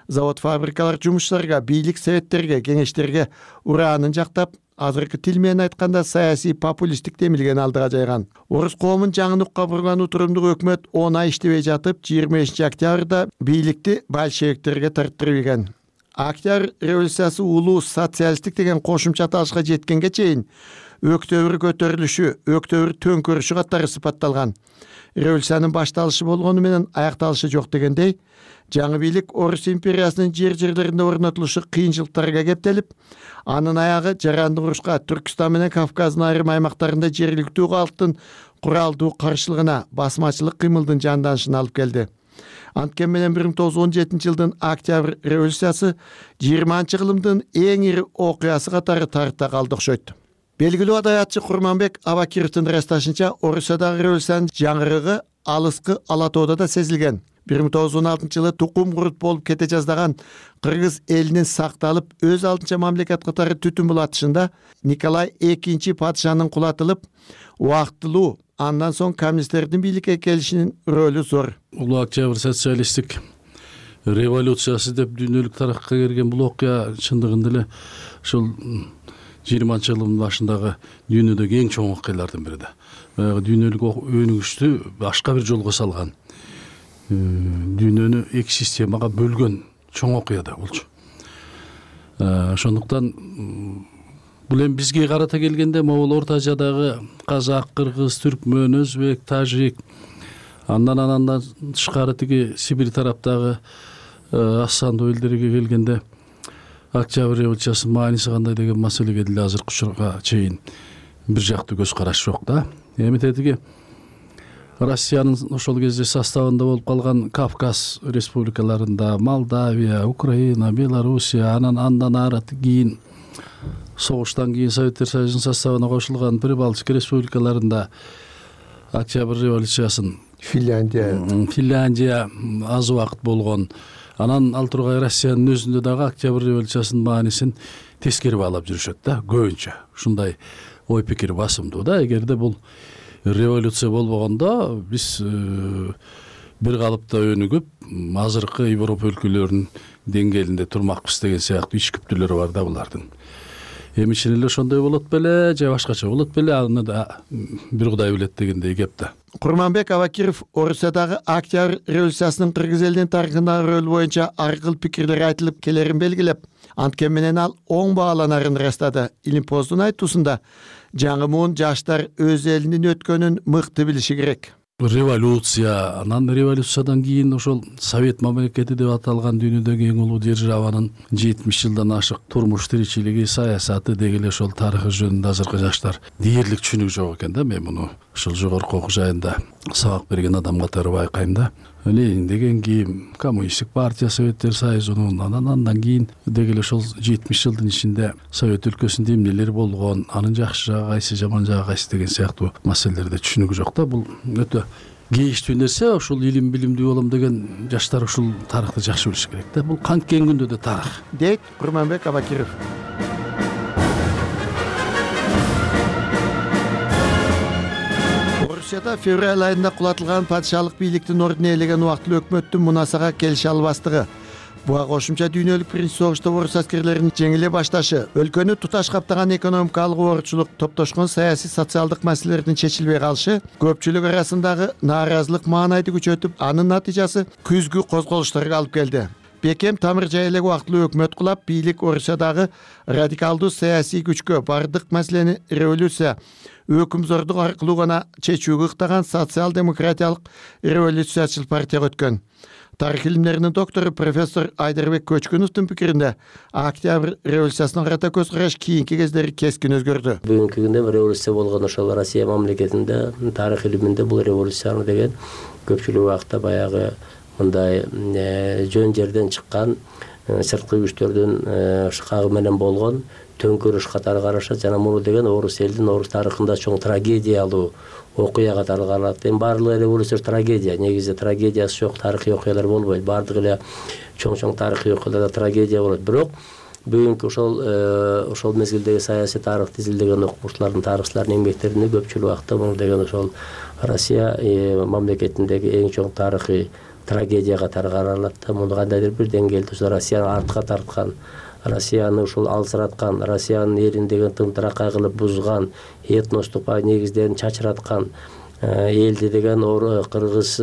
завод фабрикалар жумушчуларга, бийлик советтерге, кеңештерге ураанын жактап, азыркы тил менен айтканда саясий популисттик демилген алдыга жайган. Орус коомун жаңылыкка бурган утурумдук өкмөт 10 ай иштебей жатып, 25 октябрда бийликти большевиктерге тарттырып ийген. Октябрь революциясы улуу социалисттик деген кошумча аталышка жеткенге чейин Өктөбүр көтөрүлүшү, Өктөбүр төңкөрүшү катары сыпатталган. Революциянын башталышы болгону менен аякталышы жок дегендей, жаңы бийлик Орус империясынын жерлеринде орнотулушу кыйынчылыктарга кептелип, анын аягы жарандык урушка, Түркстан менен Кавказдын айрым аймактарында жергиликтүү калктын куралдуу каршылыгына, басмачылык кыймылдын жанданышына алып келди. Анткени менен 1917 жылдын Октябрь революциясы 20-кылымдын эң ири окуясы катары тарыхта калды окшойт. Белгилүү адабиятчы Курманбек Абакировдун ырасташынча, Орусиядагы революциянын жаңырыгы алыскы Ала тоодо да сезилген. 1916 жылы тукум курут болуп кете жаздаган кыргыз элинин сакталып, өз алдынча мамлекет катары түтүн булатышында Николай II падышанын кулатылып, убактылуу, андан соң коммунисттердин бийликке келишинин рөлү зор. Улуу Октябрь социалисттик революциясы деп дүйнөлүк тарыхка кирген бул окуя чындыгында эле ушул 20-кылымдын башындагы дүйнөдөгү эң чоң окуялардын бири да. Дүйнөлүк өнүгүштү башка бир жолго салган. Дүйнөнү эки системага бөлгөн чоң окуя да болчу. Ошондуктан бул эми бизге карата келгенде могул Орто Азиядагы казак, кыргыз, түркмөн, өзбек, тажик, андан тышкары тиги Сибирь тараптагы Ассанду элдерге келгенде Октябрь революциясынын мааниси кандай деген маселеге деле азыркы учурга чейин бир жактуу көз караш жок да. Эми тетиги Россиянын ошол кезде составында болуп калган Кавказ республикаларында Молдавия, Украина, Белоруссия, андан ары кийин согуштан кийин Советтер Союзунун составына кошулган Прибалтика республикаларында Октябрь революциясын Финляндия аз убакыт болгон. Анан ал тургай Россиянын өзүндө дагы Октябрь революциясынын маанисин тескери баалап жүрүшөт да, көбүнчө. Ушундай ой пикир басымдуу да. Эгерде бул революция болбогондо биз бир калыпта өнүгүп, азыркы Европа өлкөлөрүнүн деңгээлинде турмакпыз деген сыяктуу ич күптүүлөрү бар да булардын. Эми чын эле ошондой болот беле же башкача болот беле, аны да бир Кудай билет дегендей кеп да. Курманбек Абакиров Орусиядагы Октябрь революциясынын кыргыз элинин тарыхындагы рөлү боюнча ар кыл пикирлер айтылып келерин белгилеп, анткени менен ал оң бааланарын ырастады. Илимпоздун айтуусунда жаңы муун жаштар өз элинин өткөнүн мыкты билиши керек. Революция, анан революциядан кийин ошол Совет мамлекети деп аталган дүйнөдөгү эң улуу державанын 70 жылдан ашык турмуш тиричилиги, саясаты деги эле ошол тарыхы жөнүндө азыркы жаштар дээрлик түшүнүк жок экен да. Мен муну ушул жогорку окуу жайында сабак берген адам катары байкайм да. Ленин деген кийин Коммунисттик партия, Советтер Союзунун, андан кийин деги эле ошол 70 жылдын ичинде Совет өлкөсүндө эмнелер болгон, анын жакшы жагы кайсы, жаман жагы кайсы деген сыяктуу маселелерде түшүнүк жок да. Бул өтө кейиштүү нерсе. Ушул илим билимдүү болом деген жаштар ушул тарыхты жакшы билиш керек да. Бул канткен күндө да тарых. Дейт Курманбек Абакиров. Орусияда февраль айында кулатылган падышалык бийликтин ордун ээлеген убактылуу өкмөттүн мунасага келише албастыгы, буга кошумча дүйнөлүк биринчи согушта орус аскерлеринин жеңиле башташы, өлкөнү туташ каптаган экономикалык оорчулук, топтошкон саясий социалдык маселелердин чечилбей калышы көпчүлүк арасындагы нааразылык маанайды күчөтүп, анын натыйжасы күзгү козголуштарга алып келди. Бекем тамыр жайылек убактылуу өкмөт кулап, бийлик Орусиядагы радикалдуу саясий күчкө бардык маселени революция, өкүмзордук аркылуу гана чечүүгө ыктаган социал-демократиялык революциячыл партияга өткөн. Тарых илимдеринин доктору профессор Айдарбек Көчкүновдун пикиринде, Октябрь революциясына карата көз караш кийинки кездери кескин өзгөрдү. Бүгүнкү күндө революция болгон ошол Россия мамлекетинде тарых илиминде бул революцияны деген көпчүлүк убакта баягы мындай жөн жерден чыккан сырткы күчтөрдүн шыкагы менен болгон төңкөрүш катары карашат. Жана муну деген орус элдин, орус тарыхында чоң трагедиялуу окуя катары каралат. Эми баардык революция трагедия, негизи трагедиясы жок тарыхый окуялар болбойт. Баардык эле чоң тарыхый окуяларда трагедия болот. Бирок бүгүнкү ошол мезгилдеги саясий тарыхты изилдеген окумуштуулардын, тарыхчылардын эмгектеринде көпчүлүк убакта муну деген ошол Россия мамлекетиндеги эң чоң тарыхый трагедия катары каралат. Муну кандайдыр бир деңгээлде ошо Россияны артка тарткан, Россияны ушул алсыраткан, Россиянын элин деген тымтыракай кылып бузган, этностук негиздерин чачыраткан, элди деген кыргыз,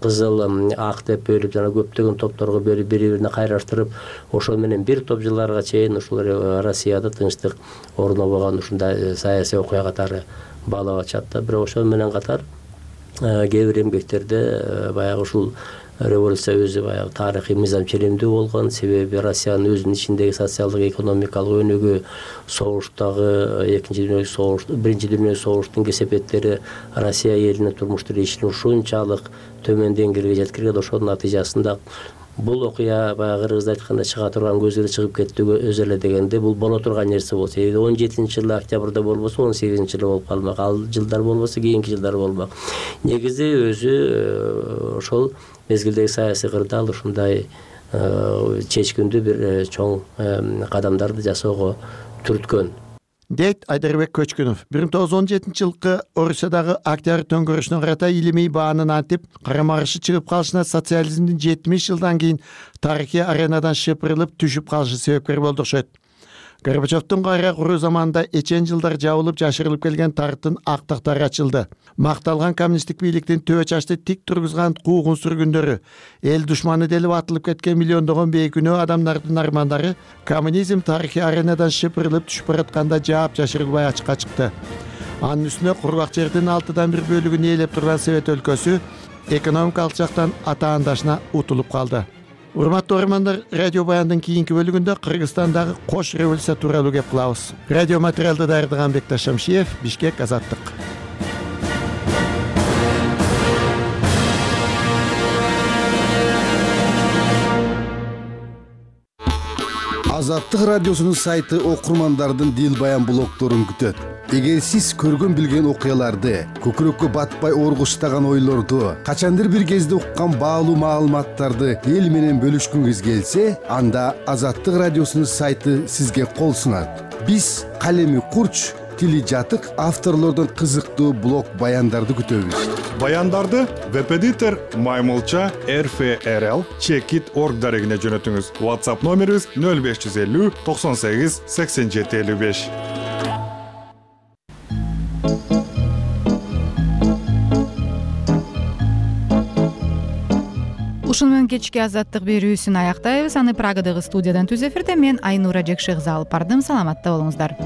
кызыл, ак деп бөлүп, жана көптөгөн топторго бөлүп, бири-бирине кайраштырып, ошол менен бир топ жылдарга чейин ушул Россияда тынчтык орнобогон ушундай саясий окуя катары баалап атышат да. Бирок ошол менен катар кээ бир эмгектерде баягы ушул революция өзү баягы тарыхый мыйзам ченемдүү болгон. Себеби Россиянын өзүнүн ичиндеги социалдык экономикалык өнүгүү, согуштагы биринчи дүйнөлүк согуштун кесепеттери Россия элинин турмуш тиричилигин ушунчалык төмөн деңгээлге жеткирген. Ошонун натыйжасында бул окуя баягы кыргызда айтканда чыга турган көзүрө чыгып кетти өзү эле дегенде бул боло турган нерсе болсо, 17-жылы октябрда болбосо 18-жылы болуп калмак, ал жылдар болбосо кийинки жылдар болмак. Негизи өзү ошол мезгилдеги саясий кырда ал ушундай чечкиндүү бир чоң кадамдарды жасоого түрткөн. Дейт Айдарбек Көчкүнов. 1917-жылкы Орусиядагы Октябрь төңкөрүшүнө карата илимий баанын антип, карама-каршы чыгып калышына социализмдин 70 жылдан кийин тарыхый аренадан шыпырылып түшүп калышы себепкер болду окшойт. Горбачевдун кайра куруу заманында эчен жылдар жабылып жашырылып келген тарыхтын актактары ачылды. Макталган коммунисттик бийликтин төбө чачты тик тургузган куугун сүргүндөрү, эл душманы делип атылып кеткен миллиондогон бейкүнөө адамдардын армандары коммунизм тарыхый аренадан шыпырылып түшүп баратканда жаап жашырылбай ачыкка чыкты. Анын үстүнө кургак жердин 6/1 бөлүгүн ээлеп турган Совет өлкөсү экономикалык жактан атаандашына утулуп калды. Урматтуу көрөрмандар, радио баяндын кийинки бөлүгүндө Кыргызстандагы кош революция тууралуу кеп кылабыз. Радио материалды даярдаган Бекташ Шамшиев, Бишкек, Азаттык. Азаттык радиосунун сайты окурмандардын дил баян блогдорун күтөт. Эгер сиз көргөн билген окуяларды, көкүрөккө батпай оргуштаган ойлорду, качандыр бир кезде уккан баалуу маалыматтарды эл менен бөлүшкүңүз келсе, анда Азаттык радиосунун сайты сизге кол сунат. Биз калеми курч, тили жатык авторлордон кызыктуу блог баяндарды күтөбүз. Баяндарды веб-эдитор Маймылча RFRL Checkit.org дарегине жөнөтүңүз. WhatsApp номерибиз 0550 98 87 55. Ушуну менен кечки азаттык берүүсүн аяктайбыз. Аны Прагадагы студиядан түз эфирде мен Айнура Жекшегиза алып бардым. Саламатта болуңуздар.